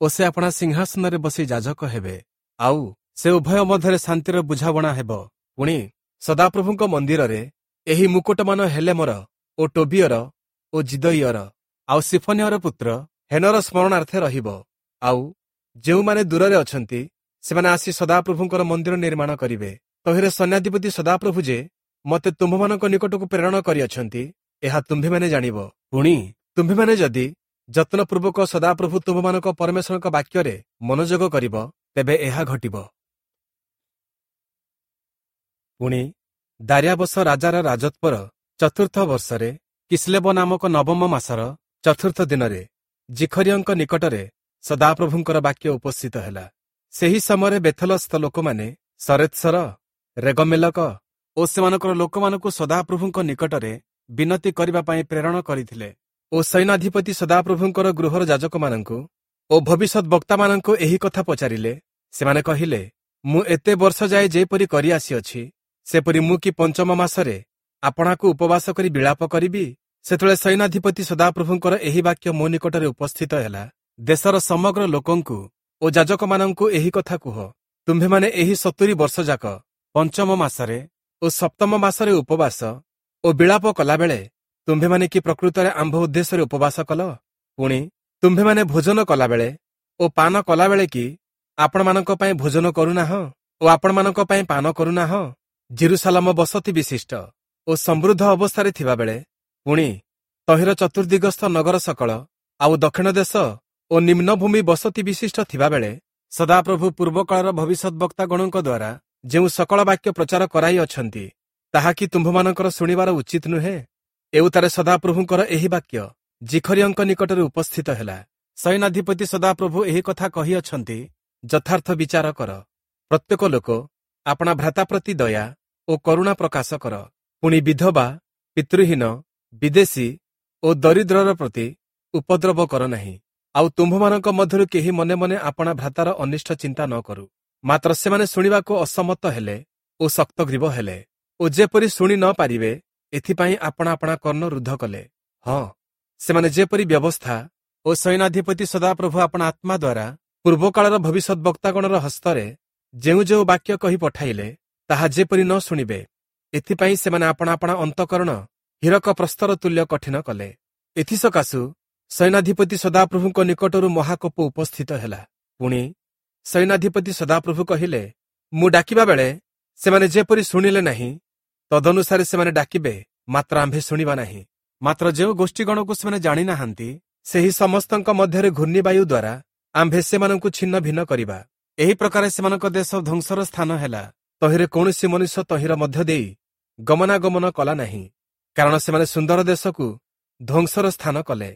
Speaker 1: ଓ ସେ ଆପଣା ସିଂହାସନରେ ବସି ଯାଜକ ହେବେ, ଆଉ ସେ ଉଭୟ ମଧ୍ୟରେ ଶାନ୍ତିର ବୁଝାବଣା ହେବ। ପୁଣି ସଦାପ୍ରଭୁଙ୍କ ମନ୍ଦିରରେ ଏହି ମୁକୁଟମାନ ହେଲେମର ଓ ଟୋବିୟର ଓ ଜିଦଇୟର ଆଉ ସିଫନିୟର ପୁତ୍ର ହେନର ସ୍ମରଣାର୍ଥେ ରହିବ। ଆଉ ଯେଉଁମାନେ ଦୂରରେ ଅଛନ୍ତି ସେମାନେ ଆସି ସଦାପ୍ରଭୁଙ୍କର ମନ୍ଦିର ନିର୍ମାଣ କରିବେ। ତହିଁରେ ସୈନ୍ୟାଧିପତି ସଦାପ୍ରଭୁ ଯେ ମୋତେ ତୁମ୍ଭମାନଙ୍କ ନିକଟକୁ ପ୍ରେରଣ କରିଅଛନ୍ତି, ଏହା ତୁମ୍ଭେମାନେ ଜାଣିବ। ପୁଣି ତୁମ୍ଭେମାନେ ଯଦି ଯତ୍ନପୂର୍ବକ ସଦାପ୍ରଭୁ ତୁମ୍ଭମାନଙ୍କ ପରମେଶ୍ୱରଙ୍କ ବାକ୍ୟରେ ମନୋଯୋଗ କରିବ, ତେବେ ଏହା ଘଟିବ। ପୁଣି ଦାରିଆବସ ରାଜାର ରାଜତ୍ୱର ଚତୁର୍ଥ ବର୍ଷରେ କିସ୍ଲେବ ନାମକ ନବମ ମାସର ଚତୁର୍ଥ ଦିନରେ ଜିଖରିୟଙ୍କ ନିକଟରେ ସଦାପ୍ରଭୁଙ୍କର ବାକ୍ୟ ଉପସ୍ଥିତ ହେଲା। ସେହି ସମୟରେ ବେଥଲସ୍ଥ ଲୋକମାନେ ସରେତ୍ସର, ରେଗମେଲକ ଓ ସେମାନଙ୍କର ଲୋକମାନଙ୍କୁ ସଦାପ୍ରଭୁଙ୍କ ନିକଟରେ ବିନତି କରିବା ପାଇଁ ପ୍ରେରଣ କରିଥିଲେ ଓ ସୈନ୍ୟାଧିପତି ସଦାପ୍ରଭୁଙ୍କର ଗୃହର ଯାଜକମାନଙ୍କୁ ଓ ଭବିଷ୍ୟତ ବକ୍ତାମାନଙ୍କୁ ଏହି କଥା ପଚାରିଲେ। ସେମାନେ କହିଲେ, ମୁଁ ଏତେ ବର୍ଷ ଯାଏ ଯେପରି କରି ଆସିଅଛି, ସେପରି ମୁଁ କି ପଞ୍ଚମ ମାସରେ ଆପଣାକୁ ଉପବାସ କରି ବିଳାପ କରିବି? ସେତେବେଳେ ସୈନ୍ୟାଧିପତି ସଦାପ୍ରଭୁଙ୍କର ଏହି ବାକ୍ୟ ମୋ ନିକଟରେ ଉପସ୍ଥିତ ହେଲା, ଦେଶର ସମଗ୍ର ଲୋକଙ୍କୁ ଓ ଯାଜକମାନଙ୍କୁ ଏହି କଥା କୁହ, ତୁମ୍ଭେମାନେ ଏହି ସତୁରି ବର୍ଷ ଯାକ ପଞ୍ଚମ ମାସରେ ଓ ସପ୍ତମ ମାସରେ ଉପବାସ ଓ ବିଳାପ କଲାବେଳେ ତୁମ୍ଭେମାନେ କି ପ୍ରକୃତରେ ଆମ୍ଭ ଉଦ୍ଦେଶ୍ୟରେ ଉପବାସ କଲ? ପୁଣି ତୁମ୍ଭେମାନେ ଭୋଜନ କଲାବେଳେ ଓ ପାନ କଲାବେଳେ କି ଆପଣମାନଙ୍କ ପାଇଁ ଭୋଜନ କରୁନାହଁ ଓ ଆପଣମାନଙ୍କ ପାଇଁ ପାନ କରୁନାହଁ? ଜିରୁସାଲମ ବସତି ବିଶିଷ୍ଟ ଓ ସମୃଦ୍ଧ ଅବସ୍ଥାରେ ଥିବାବେଳେ ପୁଣି ତହିଁର ଚତୁର୍ଦିଗସ୍ଥ ନଗର ସକଳ ଆଉ ଦକ୍ଷିଣ ଦେଶ ଓ ନିମ୍ନଭୂମି ବସତି ବିଶିଷ୍ଟ ଥିବାବେଳେ ସଦାପ୍ରଭୁ ପୂର୍ବକାଳର ଭବିଷ୍ୟତବକ୍ତାଗଣଙ୍କ ଦ୍ୱାରା ଯେଉଁ ସକଳ ବାକ୍ୟ ପ୍ରଚାର କରାଇ ଅଛନ୍ତି, ତାହା କି ତୁମ୍ଭମାନଙ୍କର ଶୁଣିବାର ଉଚିତ ନୁହେଁ? ଏଉତାରେ ସଦାପ୍ରଭୁଙ୍କର ଏହି ବାକ୍ୟ ଜିଖରିୟଙ୍କ ନିକଟରେ ଉପସ୍ଥିତ ହେଲା। ସୈନ୍ୟାଧିପତି ସଦାପ୍ରଭୁ ଏହି କଥା କହିଅଛନ୍ତି, ଯଥାର୍ଥ ବିଚାର କର, ପ୍ରତ୍ୟେକ ଲୋକ ଆପଣା ଭ୍ରାତା ପ୍ରତି ଦୟା ଓ କରୁଣା ପ୍ରକାଶ କର। ପୁଣି ବିଧବା, ପିତୃହୀନ, ବିଦେଶୀ ଓ ଦରିଦ୍ରର ପ୍ରତି ଉପଦ୍ରବ କର ନାହିଁ। ଆଉ ତୁମ୍ଭମାନଙ୍କ ମଧ୍ୟରୁ କେହି ମନେ ମନେ ଆପଣା ଭ୍ରାତାର ଅନିଷ୍ଟ ଚିନ୍ତା ନ କରୁ। ମାତ୍ର ସେମାନେ ଶୁଣିବାକୁ ଅସମ୍ମତ ହେଲେ ଓ ଶକ୍ତଗ୍ରୀବ ହେଲେ ଓ ଯେପରି ଶୁଣି ନ ପାରିବେ ଏଥିପାଇଁ ଆପଣା ଆପଣା କର୍ଣ୍ଣ ରୁଦ୍ଧ କଲେ। ହଁ, ସେମାନେ ଯେପରି ବ୍ୟବସ୍ଥା ଓ ସୈନ୍ୟାଧିପତି ସଦାପ୍ରଭୁ ଆପଣା ଆତ୍ମା ଦ୍ୱାରା ପୂର୍ବକାଳର ଭବିଷ୍ୟତ ବକ୍ତାଗଣର ହସ୍ତରେ ଯେଉଁ ଯେଉଁ ବାକ୍ୟ କହି ପଠାଇଲେ, ତାହା ଯେପରି ନ ଶୁଣିବେ ଏଥିପାଇଁ ସେମାନେ ଆପଣା ଆପଣା ଅନ୍ତଃକରଣ ହୀରକ ପ୍ରସ୍ତର ତୁଲ୍ୟ କଠିନ କଲେ। ଏଥିସକାଶୁ ସୈନ୍ୟାଧିପତି ସଦାପ୍ରଭୁଙ୍କ ନିକଟରୁ ମହାକୋପ ଉପସ୍ଥିତ ହେଲା। ପୁଣି ସୈନ୍ୟାଧିପତି ସଦାପ୍ରଭୁ କହିଲେ, ମୁଁ ଡାକିବା ବେଳେ ସେମାନେ ଯେପରି ଶୁଣିଲେ ନାହିଁ, ତଦନୁସାରେ ସେମାନେ ଡାକିବେ, ମାତ୍ର ଆମ୍ଭେ ଶୁଣିବା ନାହିଁ। ମାତ୍ର ଯେଉଁ ଗୋଷ୍ଠୀଗଣକୁ ସେମାନେ ଜାଣିନାହାନ୍ତି, ସେହି ସମସ୍ତଙ୍କ ମଧ୍ୟରେ ଘୂର୍ଣ୍ଣିବାୟୁ ଦ୍ୱାରା ଆମ୍ଭେ ସେମାନଙ୍କୁ ଛିନ୍ନ ଭିନ୍ନ କରିବା। ଏହି ପ୍ରକାରେ ସେମାନଙ୍କ ଦେଶ ଧ୍ୱଂସର ସ୍ଥାନ ହେଲା। ତହିଁରେ କୌଣସି ମନୁଷ୍ୟ ତହିଁର ମଧ୍ୟ ଦେଇ ଗମନାଗମନ କଲା ନାହିଁ, କାରଣ ସେମାନେ ସୁନ୍ଦର ଦେଶକୁ ଧ୍ୱଂସର ସ୍ଥାନ କଲେ।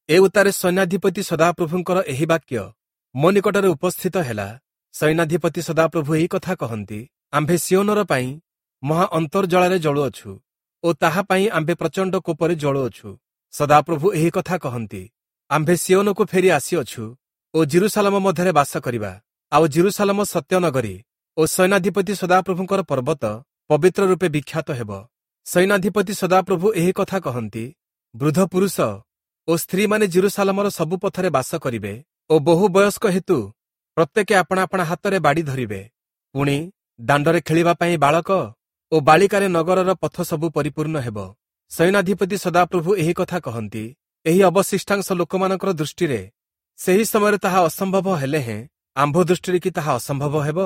Speaker 1: ଏ ଉତ୍ତାରେ ସୈନ୍ୟାଧିପତି ସଦାପ୍ରଭୁଙ୍କର ଏହି ବାକ୍ୟ ମୋ ନିକଟରେ ଉପସ୍ଥିତ ହେଲା। ସୈନ୍ୟାଧିପତି ସଦାପ୍ରଭୁ ଏହି କଥା କହନ୍ତି, ଆମ୍ଭେ ସିଓନର ପାଇଁ ମହା ଅନ୍ତର୍ଜଳାରେ ଜଳୁଅଛୁ ଓ ତାହା ପାଇଁ ଆମ୍ଭେ ପ୍ରଚଣ୍ଡ କୋପରେ ଜଳୁଅଛୁ। ସଦାପ୍ରଭୁ ଏହି କଥା କହନ୍ତି, ଆମ୍ଭେ ସିଓନକୁ ଫେରି ଆସିଅଛୁ ଓ ଜିରୁସାଲମ ମଧ୍ୟରେ ବାସ କରିବା। ଆଉ ଜିରୁସାଲମ ସତ୍ୟନଗରୀ ଓ ସୈନ୍ୟାଧିପତି ସଦାପ୍ରଭୁଙ୍କର ପର୍ବତ ପବିତ୍ର ରୂପେ ବିଖ୍ୟାତ ହେବ। ସୈନ୍ୟାଧିପତି ସଦାପ୍ରଭୁ ଏହି କଥା କହନ୍ତି, ବୃଦ୍ଧ ପୁରୁଷ ଓ ସ୍ତ୍ରୀମାନେ ଜିରୁସାଲମର ସବୁ ପଥରେ ବାସ କରିବେ ଓ ବହୁ ବୟସ୍କ ହେତୁ ପ୍ରତ୍ୟେକେ ଆପଣା ଆପଣା ହାତରେ ବାଡ଼ି ଧରିବେ। ପୁଣି ଦାଣ୍ଡରେ ଖେଳିବା ପାଇଁ ବାଳକ ଓ ବାଳିକାରେ ନଗରର ପଥ ସବୁ ପରିପୂର୍ଣ୍ଣ ହେବ। ସୈନ୍ୟାଧିପତି ସଦାପ୍ରଭୁ ଏହି କଥା କହନ୍ତି, ଏହି ଅବଶିଷ୍ଟାଂଶ ଲୋକମାନଙ୍କର ଦୃଷ୍ଟିରେ ସେହି ସମୟରେ ତାହା ଅସମ୍ଭବ ହେଲେ ହେଁ ଆମ୍ଭ ଦୃଷ୍ଟିରେ କି ତାହା ଅସମ୍ଭବ ହେବ?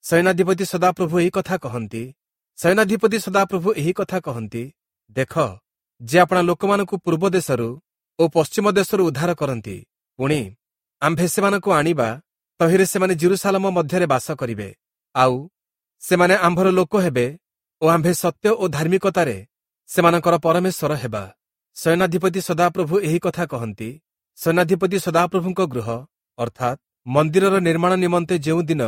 Speaker 1: ସୈନ୍ୟାଧିପତି ସଦାପ୍ରଭୁ ଏହି କଥା କହନ୍ତି, ସୈନ୍ୟାଧିପତି ସଦାପ୍ରଭୁ ଏହି କଥା କହନ୍ତି, ଦେଖ, ଯେ ଆପଣା ଲୋକମାନଙ୍କୁ ପୂର୍ବ ଦେଶରୁ ଓ ପଶ୍ଚିମ ଦେଶରୁ ଉଦ୍ଧାର କରନ୍ତି, ପୁଣି ଆମ୍ଭେ ସେମାନଙ୍କୁ ଆଣିବା, ତହିଁରେ ସେମାନେ ଜିରୁସାଲମ ମଧ୍ୟରେ ବାସ କରିବେ। ଆଉ ସେମାନେ ଆମ୍ଭର ଲୋକ ହେବେ ଓ ଆମ୍ଭେ ସତ୍ୟ ଓ ଧାର୍ମିକତାରେ ସେମାନଙ୍କର ପରମେଶ୍ୱର ହେବା। ସୈନ୍ୟାଧିପତି ସଦାପ୍ରଭୁ ଏହି କଥା କହନ୍ତି, ସୈନ୍ୟାଧିପତି ସଦାପ୍ରଭୁଙ୍କ ଗୃହ ଅର୍ଥାତ୍ ମନ୍ଦିରର ନିର୍ମାଣ ନିମନ୍ତେ ଯେଉଁ ଦିନ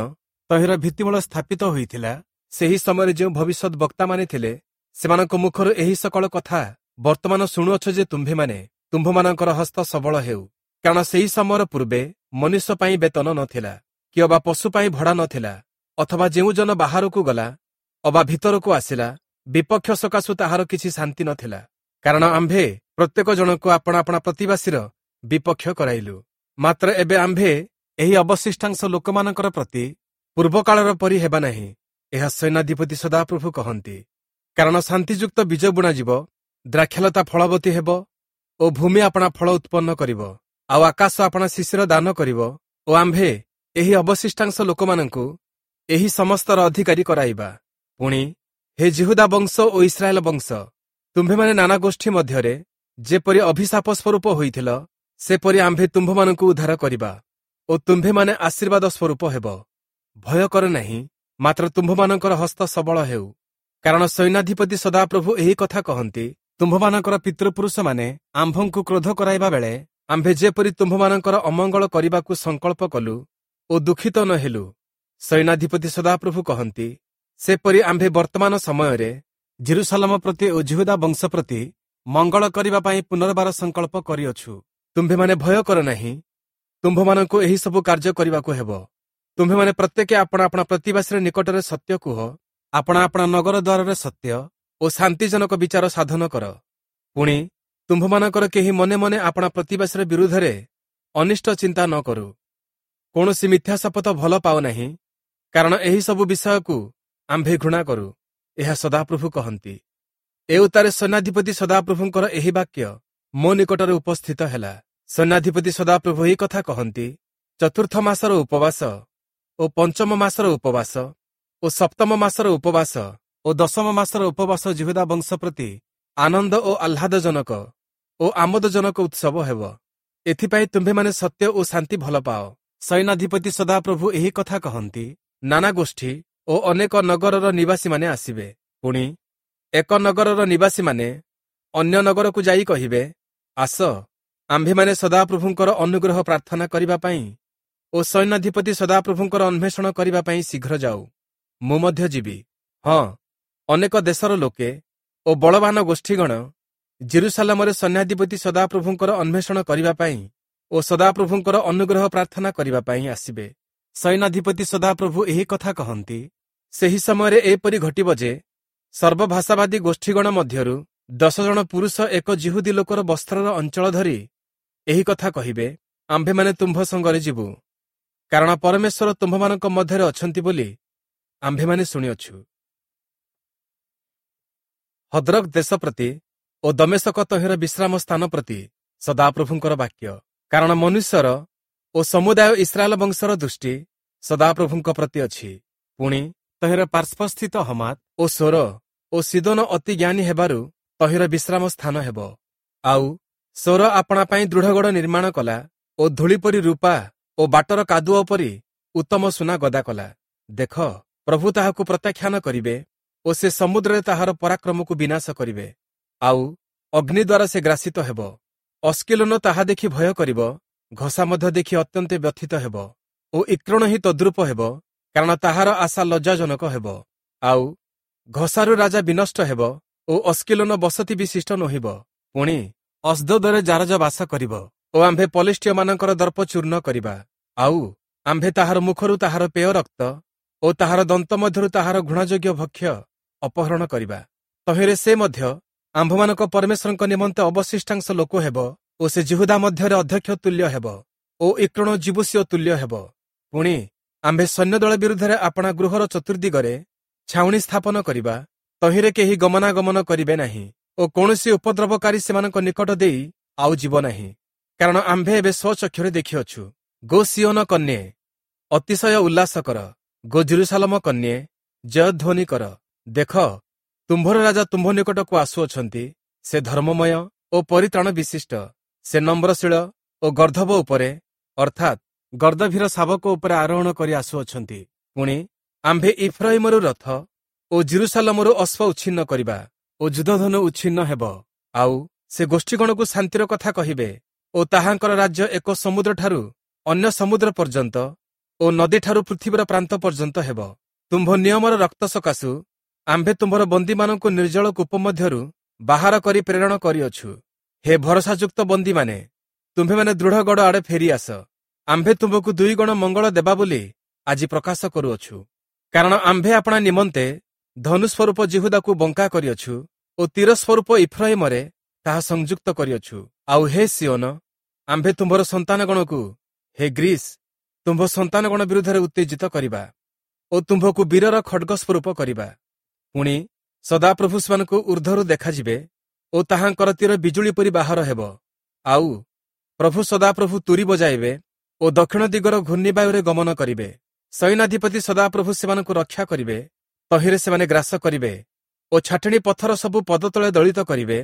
Speaker 1: ତହିଁର ଭିତ୍ତିମୂଳ ସ୍ଥାପିତ ହୋଇଥିଲା, ସେହି ସମୟରେ ଯେଉଁ ଭବିଷ୍ୟତ ବକ୍ତାମାନେ ଥିଲେ, ସେମାନଙ୍କ ମୁଖରୁ ଏହି ସକଳ କଥା ବର୍ତ୍ତମାନ ଶୁଣୁଅଛ ଯେ ତୁମ୍ଭେମାନେ ତୁମ୍ଭମାନଙ୍କର ହସ୍ତ ସବଳ ହେଉ। କାରଣ ସେହି ସମୟର ପୂର୍ବେ ମନୁଷ୍ୟ ପାଇଁ ବେତନ ନଥିଲା, କି ଅବା ପଶୁ ପାଇଁ ଭଡ଼ା ନଥିଲା, ଅଥବା ଯେଉଁ ଜନ ବାହାରକୁ ଗଲା ଅବା ଭିତରକୁ ଆସିଲା, ବିପକ୍ଷ ସକାଶୁ ତାହାର କିଛି ଶାନ୍ତି ନଥିଲା। କାରଣ ଆମ୍ଭେ ପ୍ରତ୍ୟେକ ଜଣକୁ ଆପଣା ଆପଣା ପ୍ରତିବାସୀର ବିପକ୍ଷ କରାଇଲୁ। ମାତ୍ର ଏବେ ଆମ୍ଭେ ଏହି ଅବଶିଷ୍ଟାଂଶ ଲୋକମାନଙ୍କର ପ୍ରତି ପୂର୍ବକାଳର ପରି ହେବା ନାହିଁ, ଏହା ସୈନ୍ୟାଧିପତି ସଦାପ୍ରଭୁ କହନ୍ତି। କାରଣ ଶାନ୍ତିଯୁକ୍ତ ବୀଜ ବୁଣାଯିବ, ଦ୍ରାକ୍ଷାଲତା ଫଳବତୀ ହେବ ଓ ଭୂମି ଆପଣା ଫଳ ଉତ୍ପନ୍ନ କରିବ, ଆଉ ଆକାଶ ଆପଣା ଶିଶିର ଦାନ କରିବ ଓ ଆମ୍ଭେ ଏହି ଅବଶିଷ୍ଟାଂଶ ଲୋକମାନଙ୍କୁ ଏହି ସମସ୍ତର ଅଧିକାରୀ କରାଇବା। ପୁଣି ହେ ଯିହୁଦା ବଂଶ ଓ ଇସ୍ରାଏଲ ବଂଶ, ତୁମ୍ଭେମାନେ ନାନା ଗୋଷ୍ଠୀ ମଧ୍ୟରେ ଯେପରି ଅଭିଶାପ ସ୍ୱରୂପ ହୋଇଥିଲ, ସେପରି ଆମ୍ଭେ ତୁମ୍ଭମାନଙ୍କୁ ଉଦ୍ଧାର କରିବା ଓ ତୁମ୍ଭେମାନେ ଆଶୀର୍ବାଦ ସ୍ୱରୂପ ହେବ। ଭୟ କର ନାହିଁ, ମାତ୍ର ତୁମ୍ଭମାନଙ୍କର ହସ୍ତ ସବଳ ହେଉ। କାରଣ ସୈନ୍ୟାଧିପତି ସଦାପ୍ରଭୁ ଏହି କଥା କହନ୍ତି, ତୁମ୍ଭମାନଙ୍କର ପିତୃପୁରୁଷମାନେ ଆମ୍ଭଙ୍କୁ କ୍ରୋଧ କରାଇବା ବେଳେ ଆମ୍ଭେ ଯେପରି ତୁମ୍ଭମାନଙ୍କର ଅମଙ୍ଗଳ କରିବାକୁ ସଂକଳ୍ପ କଲୁ ଓ ଦୁଃଖିତ ନ ହେଲୁ, ସୈନ୍ୟାଧିପତି ସଦାପ୍ରଭୁ କହନ୍ତି, ସେପରି ଆମ୍ଭେ ବର୍ତ୍ତମାନ ସମୟରେ ଯିରୂଶାଲମ ପ୍ରତି ଓ ଯିହୁଦା ବଂଶ ପ୍ରତି ମଙ୍ଗଳ କରିବା ପାଇଁ ପୁନର୍ବାର ସଂକଳ୍ପ କରିଅଛୁ। ତୁମ୍ଭେମାନେ ଭୟ କର ନାହିଁ, ତୁମ୍ଭମାନଙ୍କୁ ଏହି ସବୁ କାର୍ଯ୍ୟ କରିବାକୁ ହେବ। ତୁମ୍ଭେମାନେ ପ୍ରତ୍ୟେକେ ଆପଣା ଆପଣା ପ୍ରତିବାସୀର ନିକଟରେ ସତ୍ୟ କୁହ, ଆପଣା ଆପଣା ନଗର ଦ୍ୱାରରେ ସତ୍ୟ ଓ ଶାନ୍ତିଜନକ ବିଚାର ସାଧନ କର। ପୁଣି ତୁମ୍ଭମାନଙ୍କର କେହି ମନେ ମନେ ଆପଣା ପ୍ରତିବାସୀର ବିରୁଦ୍ଧରେ ଅନିଷ୍ଟ ଚିନ୍ତା ନ କରୁ। କୌଣସି ମିଥ୍ୟା ଶପଥ ଭଲ ପାଅ ନାହିଁ, କାରଣ ଏହି ସବୁ ବିଷୟକୁ ଆମ୍ଭେ ଘୃଣା କରୁ, ଏହା ସଦାପ୍ରଭୁ କହନ୍ତି। ଏ ଉତ୍ତାରେ ସୈନ୍ୟାଧିପତି ସଦାପ୍ରଭୁଙ୍କର ଏହି ବାକ୍ୟ ମୋ ନିକଟରେ ଉପସ୍ଥିତ ହେଲା। ସୈନ୍ୟାଧିପତି ସଦାପ୍ରଭୁ ଏହି କଥା କହନ୍ତି, ଚତୁର୍ଥ ମାସର ଉପବାସ ଓ ପଞ୍ଚମ ମାସର ଉପବାସ ଓ ସପ୍ତମ ମାସର ଉପବାସ ଓ ଦଶମ ମାସର ଉପବାସ ଯିହୁଦା ବଂଶ ପ୍ରତି ଆନନ୍ଦ ଓ ଆହ୍ଲାଦଜନକ ଓ ଆମୋଦଜନକ ଉତ୍ସବ ହେବ। ଏଥିପାଇଁ ତୁମ୍ଭେମାନେ ସତ୍ୟ ଓ ଶାନ୍ତି ଭଲ ପାଅ। ସୈନ୍ୟାଧିପତି ସଦାପ୍ରଭୁ ଏହି କଥା କହନ୍ତି, ନାନା ଗୋଷ୍ଠୀ ଓ ଅନେକ ନଗରର ନିବାସୀମାନେ ଆସିବେ। ପୁଣି ଏକ ନଗରର ନିବାସୀମାନେ ଅନ୍ୟ ନଗରକୁ ଯାଇ କହିବେ, ଆସ, ଆମ୍ଭେମାନେ ସଦାପ୍ରଭୁଙ୍କର ଅନୁଗ୍ରହ ପ୍ରାର୍ଥନା କରିବା ପାଇଁ ଓ ସୈନ୍ୟାଧିପତି ସଦାପ୍ରଭୁଙ୍କର ଅନ୍ୱେଷଣ କରିବା ପାଇଁ ଶୀଘ୍ର ଯାଉ। ମୁଁ ମଧ୍ୟ ଯିବି। ହଁ, ଅନେକ ଦେଶର ଲୋକେ ଓ ବଳବାନ ଗୋଷ୍ଠୀଗଣ ଯିରୂଶାଲମରେ ସୈନ୍ୟାଧିପତି ସଦାପ୍ରଭୁଙ୍କର ଅନ୍ୱେଷଣ କରିବା ପାଇଁ ଓ ସଦାପ୍ରଭୁଙ୍କର ଅନୁଗ୍ରହ ପ୍ରାର୍ଥନା କରିବା ପାଇଁ ଆସିବେ। ସୈନ୍ୟାଧିପତି ସଦାପ୍ରଭୁ ଏହି କଥା କହନ୍ତି, ସେହି ସମୟରେ ଏପରି ଘଟିବ ଯେ ସର୍ବଭାଷାବାଦୀ ଗୋଷ୍ଠୀଗଣ ମଧ୍ୟରୁ ଦଶ ଜଣ ପୁରୁଷ ଏକ ଯିହୁଦୀ ଲୋକର ବସ୍ତ୍ରର ଅଞ୍ଚଳ ଧରି ଏହି କଥା କହିବେ, ଆମ୍ଭେମାନେ ତୁମ୍ଭ ସଙ୍ଗରେ ଯିବୁ, କାରଣ ପରମେଶ୍ୱର ତୁମ୍ଭମାନଙ୍କ ମଧ୍ୟରେ ଅଛନ୍ତି ବୋଲି ଆମ୍ଭେମାନେ ଶୁଣିଅଛୁ। ହଦ୍ରକ ଦେଶ ପ୍ରତି ଓ ଦମେଶକ ତହିଁର ବିଶ୍ରାମ ସ୍ଥାନ ପ୍ରତି ସଦାପ୍ରଭୁଙ୍କର ବାକ୍ୟ। କାରଣ ମନୁଷ୍ୟର ଓ ସମୁଦାୟ ଇସ୍ରାଏଲ ବଂଶର ଦୃଷ୍ଟି ସଦାପ୍ରଭୁଙ୍କ ପ୍ରତି ଅଛି। ପୁଣି ତହିଁର ପାର୍ଶ୍ୱସ୍ଥିତ ହମାତ ଓ ସୋର ଓ ସିଦୋନ ଅତି ଜ୍ଞାନୀ ହେବାରୁ ତହିଁର ବିଶ୍ରାମ ସ୍ଥାନ ହେବ। ଆଉ ସୋର ଆପଣା ପାଇଁ ଦୃଢ଼ଗଡ଼ ନିର୍ମାଣ କଲା ଓ ଧୂଳି ପରି ରୂପା ଓ ବାଟର କାଦୁଅ ପରି ଉତ୍ତମ ସୁନା ଗଦା କଲା। ଦେଖ, ପ୍ରଭୁ ତାହାକୁ ପ୍ରତ୍ୟାଖ୍ୟାନ କରିବେ ଓ ସେ ସମୁଦ୍ରରେ ତାହାର ପରାକ୍ରମକୁ ବିନାଶ କରିବେ, ଆଉ ଅଗ୍ନି ଦ୍ୱାରା ସେ ଗ୍ରାସିତ ହେବ। ଅସ୍କିଲୋନ ତାହା ଦେଖି ଭୟ କରିବ, ଘସା ମଧ୍ୟ ଦେଖି ଅତ୍ୟନ୍ତ ବ୍ୟଥିତ ହେବ ଓ ଇକ୍ରୋଣ ହିଁ ତଦ୍ରୂପ ହେବ, କାରଣ ତାହାର ଆଶା ଲଜ୍ଜାଜନକ ହେବ। ଆଉ ଘସାରୁ ରାଜା ବିନଷ୍ଟ ହେବ ଓ ଅସ୍କିଲୋନ ବସତି ବିଶିଷ୍ଟ ନୋହିବ। ପୁଣି ଅସ୍ଦୋଦରେ ଜାରଜ ବାସ କରିବ ଓ ଆମ୍ଭେ ପଲିଷ୍ଠୀୟମାନଙ୍କର ଦର୍ପ ଚୂର୍ଣ୍ଣ କରିବା। ଆଉ ଆମ୍ଭେ ତାହାର ମୁଖରୁ ତାହାର ପେୟ ରକ୍ତ ଓ ତାହାର ଦନ୍ତ ମଧ୍ୟରୁ ତାହାର ଘୃଣାଯୋଗ୍ୟ ଭକ୍ଷ୍ୟ ଅପହରଣ କରିବା। ତହିଁରେ ସେ ମଧ୍ୟ ଆମ୍ଭମାନଙ୍କ ପରମେଶ୍ୱରଙ୍କ ନିମନ୍ତେ ଅବଶିଷ୍ଟାଂଶ ଲୋକ ହେବ ଓ ସେ ଯିହୁଦା ମଧ୍ୟରେ ଅଧ୍ୟକ୍ଷ ତୁଲ୍ୟ ହେବ ଓ ଇକ୍ରୋଣ ଯିବୂଷୀୟ ତୁଲ୍ୟ ହେବ। ପୁଣି ଆମ୍ଭେ ସୈନ୍ୟଦଳ ବିରୁଦ୍ଧରେ ଆପଣା ଗୃହର ଚତୁର୍ଦ୍ଦିଗରେ ଛାଉଣି ସ୍ଥାପନ କରିବା, ତହିଁରେ କେହି ଗମନାଗମନ କରିବେ ନାହିଁ ଓ କୌଣସି ଉପଦ୍ରବକାରୀ ସେମାନଙ୍କ ନିକଟ ଦେଇ ଆଉ ଯିବ ନାହିଁ, କାରଣ ଆମ୍ଭେ ଏବେ ସ୍ୱଚକ୍ଷୁରେ ଦେଖିଅଛୁ। ଗୋ ସିଓନ କନ୍ୟେ, ଅତିଶୟ ଉଲ୍ଲାସ କର। ଗୋ ଯିରୂଶାଲମ କନ୍ୟେ, ଜୟଧ୍ୱନି କର। ଦେଖ, ତୁମ୍ଭର ରାଜା ତୁମ୍ଭ ନିକଟକୁ ଆସୁଅଛନ୍ତି। ସେ ଧର୍ମମୟ ଓ ପରିତ୍ରାଣ ବିଶିଷ୍ଟ। ସେ ନମ୍ରଶୀଳ ଓ ଗର୍ଦ୍ଦଭ ଉପରେ, ଅର୍ଥାତ୍ ଗର୍ଦ୍ଦଭୀର ଶାବକ ଉପରେ ଆରୋହଣ କରି ଆସୁଅଛନ୍ତି। ପୁଣି ଆମ୍ଭେ ଇଫ୍ରାଇମରୁ ରଥ ଓ ଯିରୂଶାଲମରୁ ଅଶ୍ୱ ଉଚ୍ଛିନ୍ନ କରିବା ଓ ଯୁଦ୍ଧଧନୁ ଉଚ୍ଛିନ୍ନ ହେବ। ଆଉ ସେ ଗୋଷ୍ଠୀଗଣକୁ ଶାନ୍ତିର କଥା କହିବେ ଓ ତାହାଙ୍କର ରାଜ୍ୟ ଏକ ସମୁଦ୍ରଠାରୁ ଅନ୍ୟ ସମୁଦ୍ର ପର୍ଯ୍ୟନ୍ତ ଓ ନଦୀଠାରୁ ପୃଥିବୀର ପ୍ରାନ୍ତ ପର୍ଯ୍ୟନ୍ତ ହେବ। ତୁମ୍ଭ ନିୟମର ରକ୍ତ ସକାଶୁ ଆମ୍ଭେ ତୁମ୍ଭର ବନ୍ଦୀମାନଙ୍କୁ ନିର୍ଜଳ କୂପ ମଧ୍ୟରୁ ବାହାର କରି ପ୍ରେରଣ କରିଅଛୁ। ହେ ଭରସାଯୁକ୍ତ ବନ୍ଦୀମାନେ, ତୁମ୍ଭେମାନେ ଦୃଢ଼ ଗଡ଼ ଆଡ଼େ ଫେରିଆସ। ଆମ୍ଭେ ତୁମ୍ଭକୁ ଦୁଇ ଗୁଣ ମଙ୍ଗଳ ଦେବା ବୋଲି ଆଜି ପ୍ରକାଶ କରୁଅଛୁ। କାରଣ ଆମ୍ଭେ ଆପଣା ନିମନ୍ତେ ଧନୁସ୍ୱରୂପ ଯିହୁଦାକୁ ବଙ୍କା କରିଅଛୁ ଓ ତୀର ସ୍ୱରୂପ ଇଫ୍ରାଇମରେ ତାହା ସଂଯୁକ୍ତ କରିଅଛୁ। ଆଉ ହେ ସିଓନ, ଆମ୍ଭେ ତୁମ୍ଭର ସନ୍ତାନଗଣକୁ, ହେ ଗ୍ରୀସ୍, ତୁମ୍ଭ ସନ୍ତାନଗଣ ବିରୁଦ୍ଧରେ ଉତ୍ତେଜିତ କରିବା ଓ ତୁମ୍ଭକୁ ବୀରର ଖଡ଼ଗ ସ୍ୱରୂପ କରିବା। ପୁଣି ସଦାପ୍ରଭୁ ସେମାନଙ୍କୁ ଉର୍ଦ୍ଧ୍ୱରୁ ଦେଖାଯିବେ ଓ ତାହାଙ୍କର ତୀର ବିଜୁଳି ପରି ବାହାର ହେବ। ଆଉ ପ୍ରଭୁ ସଦାପ୍ରଭୁ ତୁରୀ ବଜାଇବେ ଓ ଓ ଦକ୍ଷିଣ ଦିଗର ଘୂର୍ଣ୍ଣିବାୟୁରେ ଗମନ କରିବେ। ସୈନ୍ୟାଧିପତି ସଦାପ୍ରଭୁ ସେମାନଙ୍କୁ ରକ୍ଷା କରିବେ, ତହିଁରେ ସେମାନେ ଗ୍ରାସ କରିବେ ଓ ଛାଟିଣୀ ପଥର ସବୁ ପଦତଳେ ଦଳିତ କରିବେ।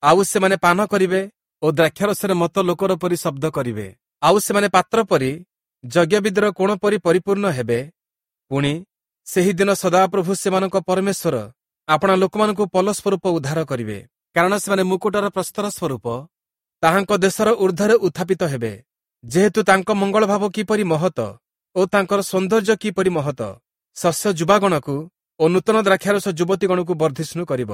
Speaker 1: ଆଉ ସେମାନେ ପାନ କରିବେ ଓ ଦ୍ରାକ୍ଷାରସରେ ମତ୍ତ ଲୋକର ପରି ଶବ୍ଦ କରିବେ। ଆଉ ସେମାନେ ପାତ୍ର ପରି ଯଜ୍ଞବେଦୀର କୋଣ ପରି ପରିପୂର୍ଣ୍ଣ ହେବେ। ପୁଣି ସେହି ଦିନ ସଦାପ୍ରଭୁ ସେମାନଙ୍କ ପରମେଶ୍ୱର ଆପଣା ଲୋକମାନଙ୍କୁ ପଲ ସ୍ୱରୂପ ଉଦ୍ଧାର କରିବେ, କାରଣ ସେମାନେ ମୁକୁଟର ପ୍ରସ୍ତର ସ୍ୱରୂପ ତାହାଙ୍କ ଦେଶର ଉର୍ଦ୍ଧ୍ୱରେ ଉତ୍ଥାପିତ ହେବେ। ଯେହେତୁ ତାଙ୍କ ମଙ୍ଗଳଭାବ କିପରି ମହତ ଓ ତାଙ୍କର ସୌନ୍ଦର୍ଯ୍ୟ କିପରି ମହତ, ଶସ୍ୟ ଯୁବାଗଣକୁ ଓ ନୂତନ ଦ୍ରାକ୍ଷାରସ ଯୁବତୀଗଣକୁ ବର୍ଦ୍ଧିଷ୍ଣୁ କରିବ।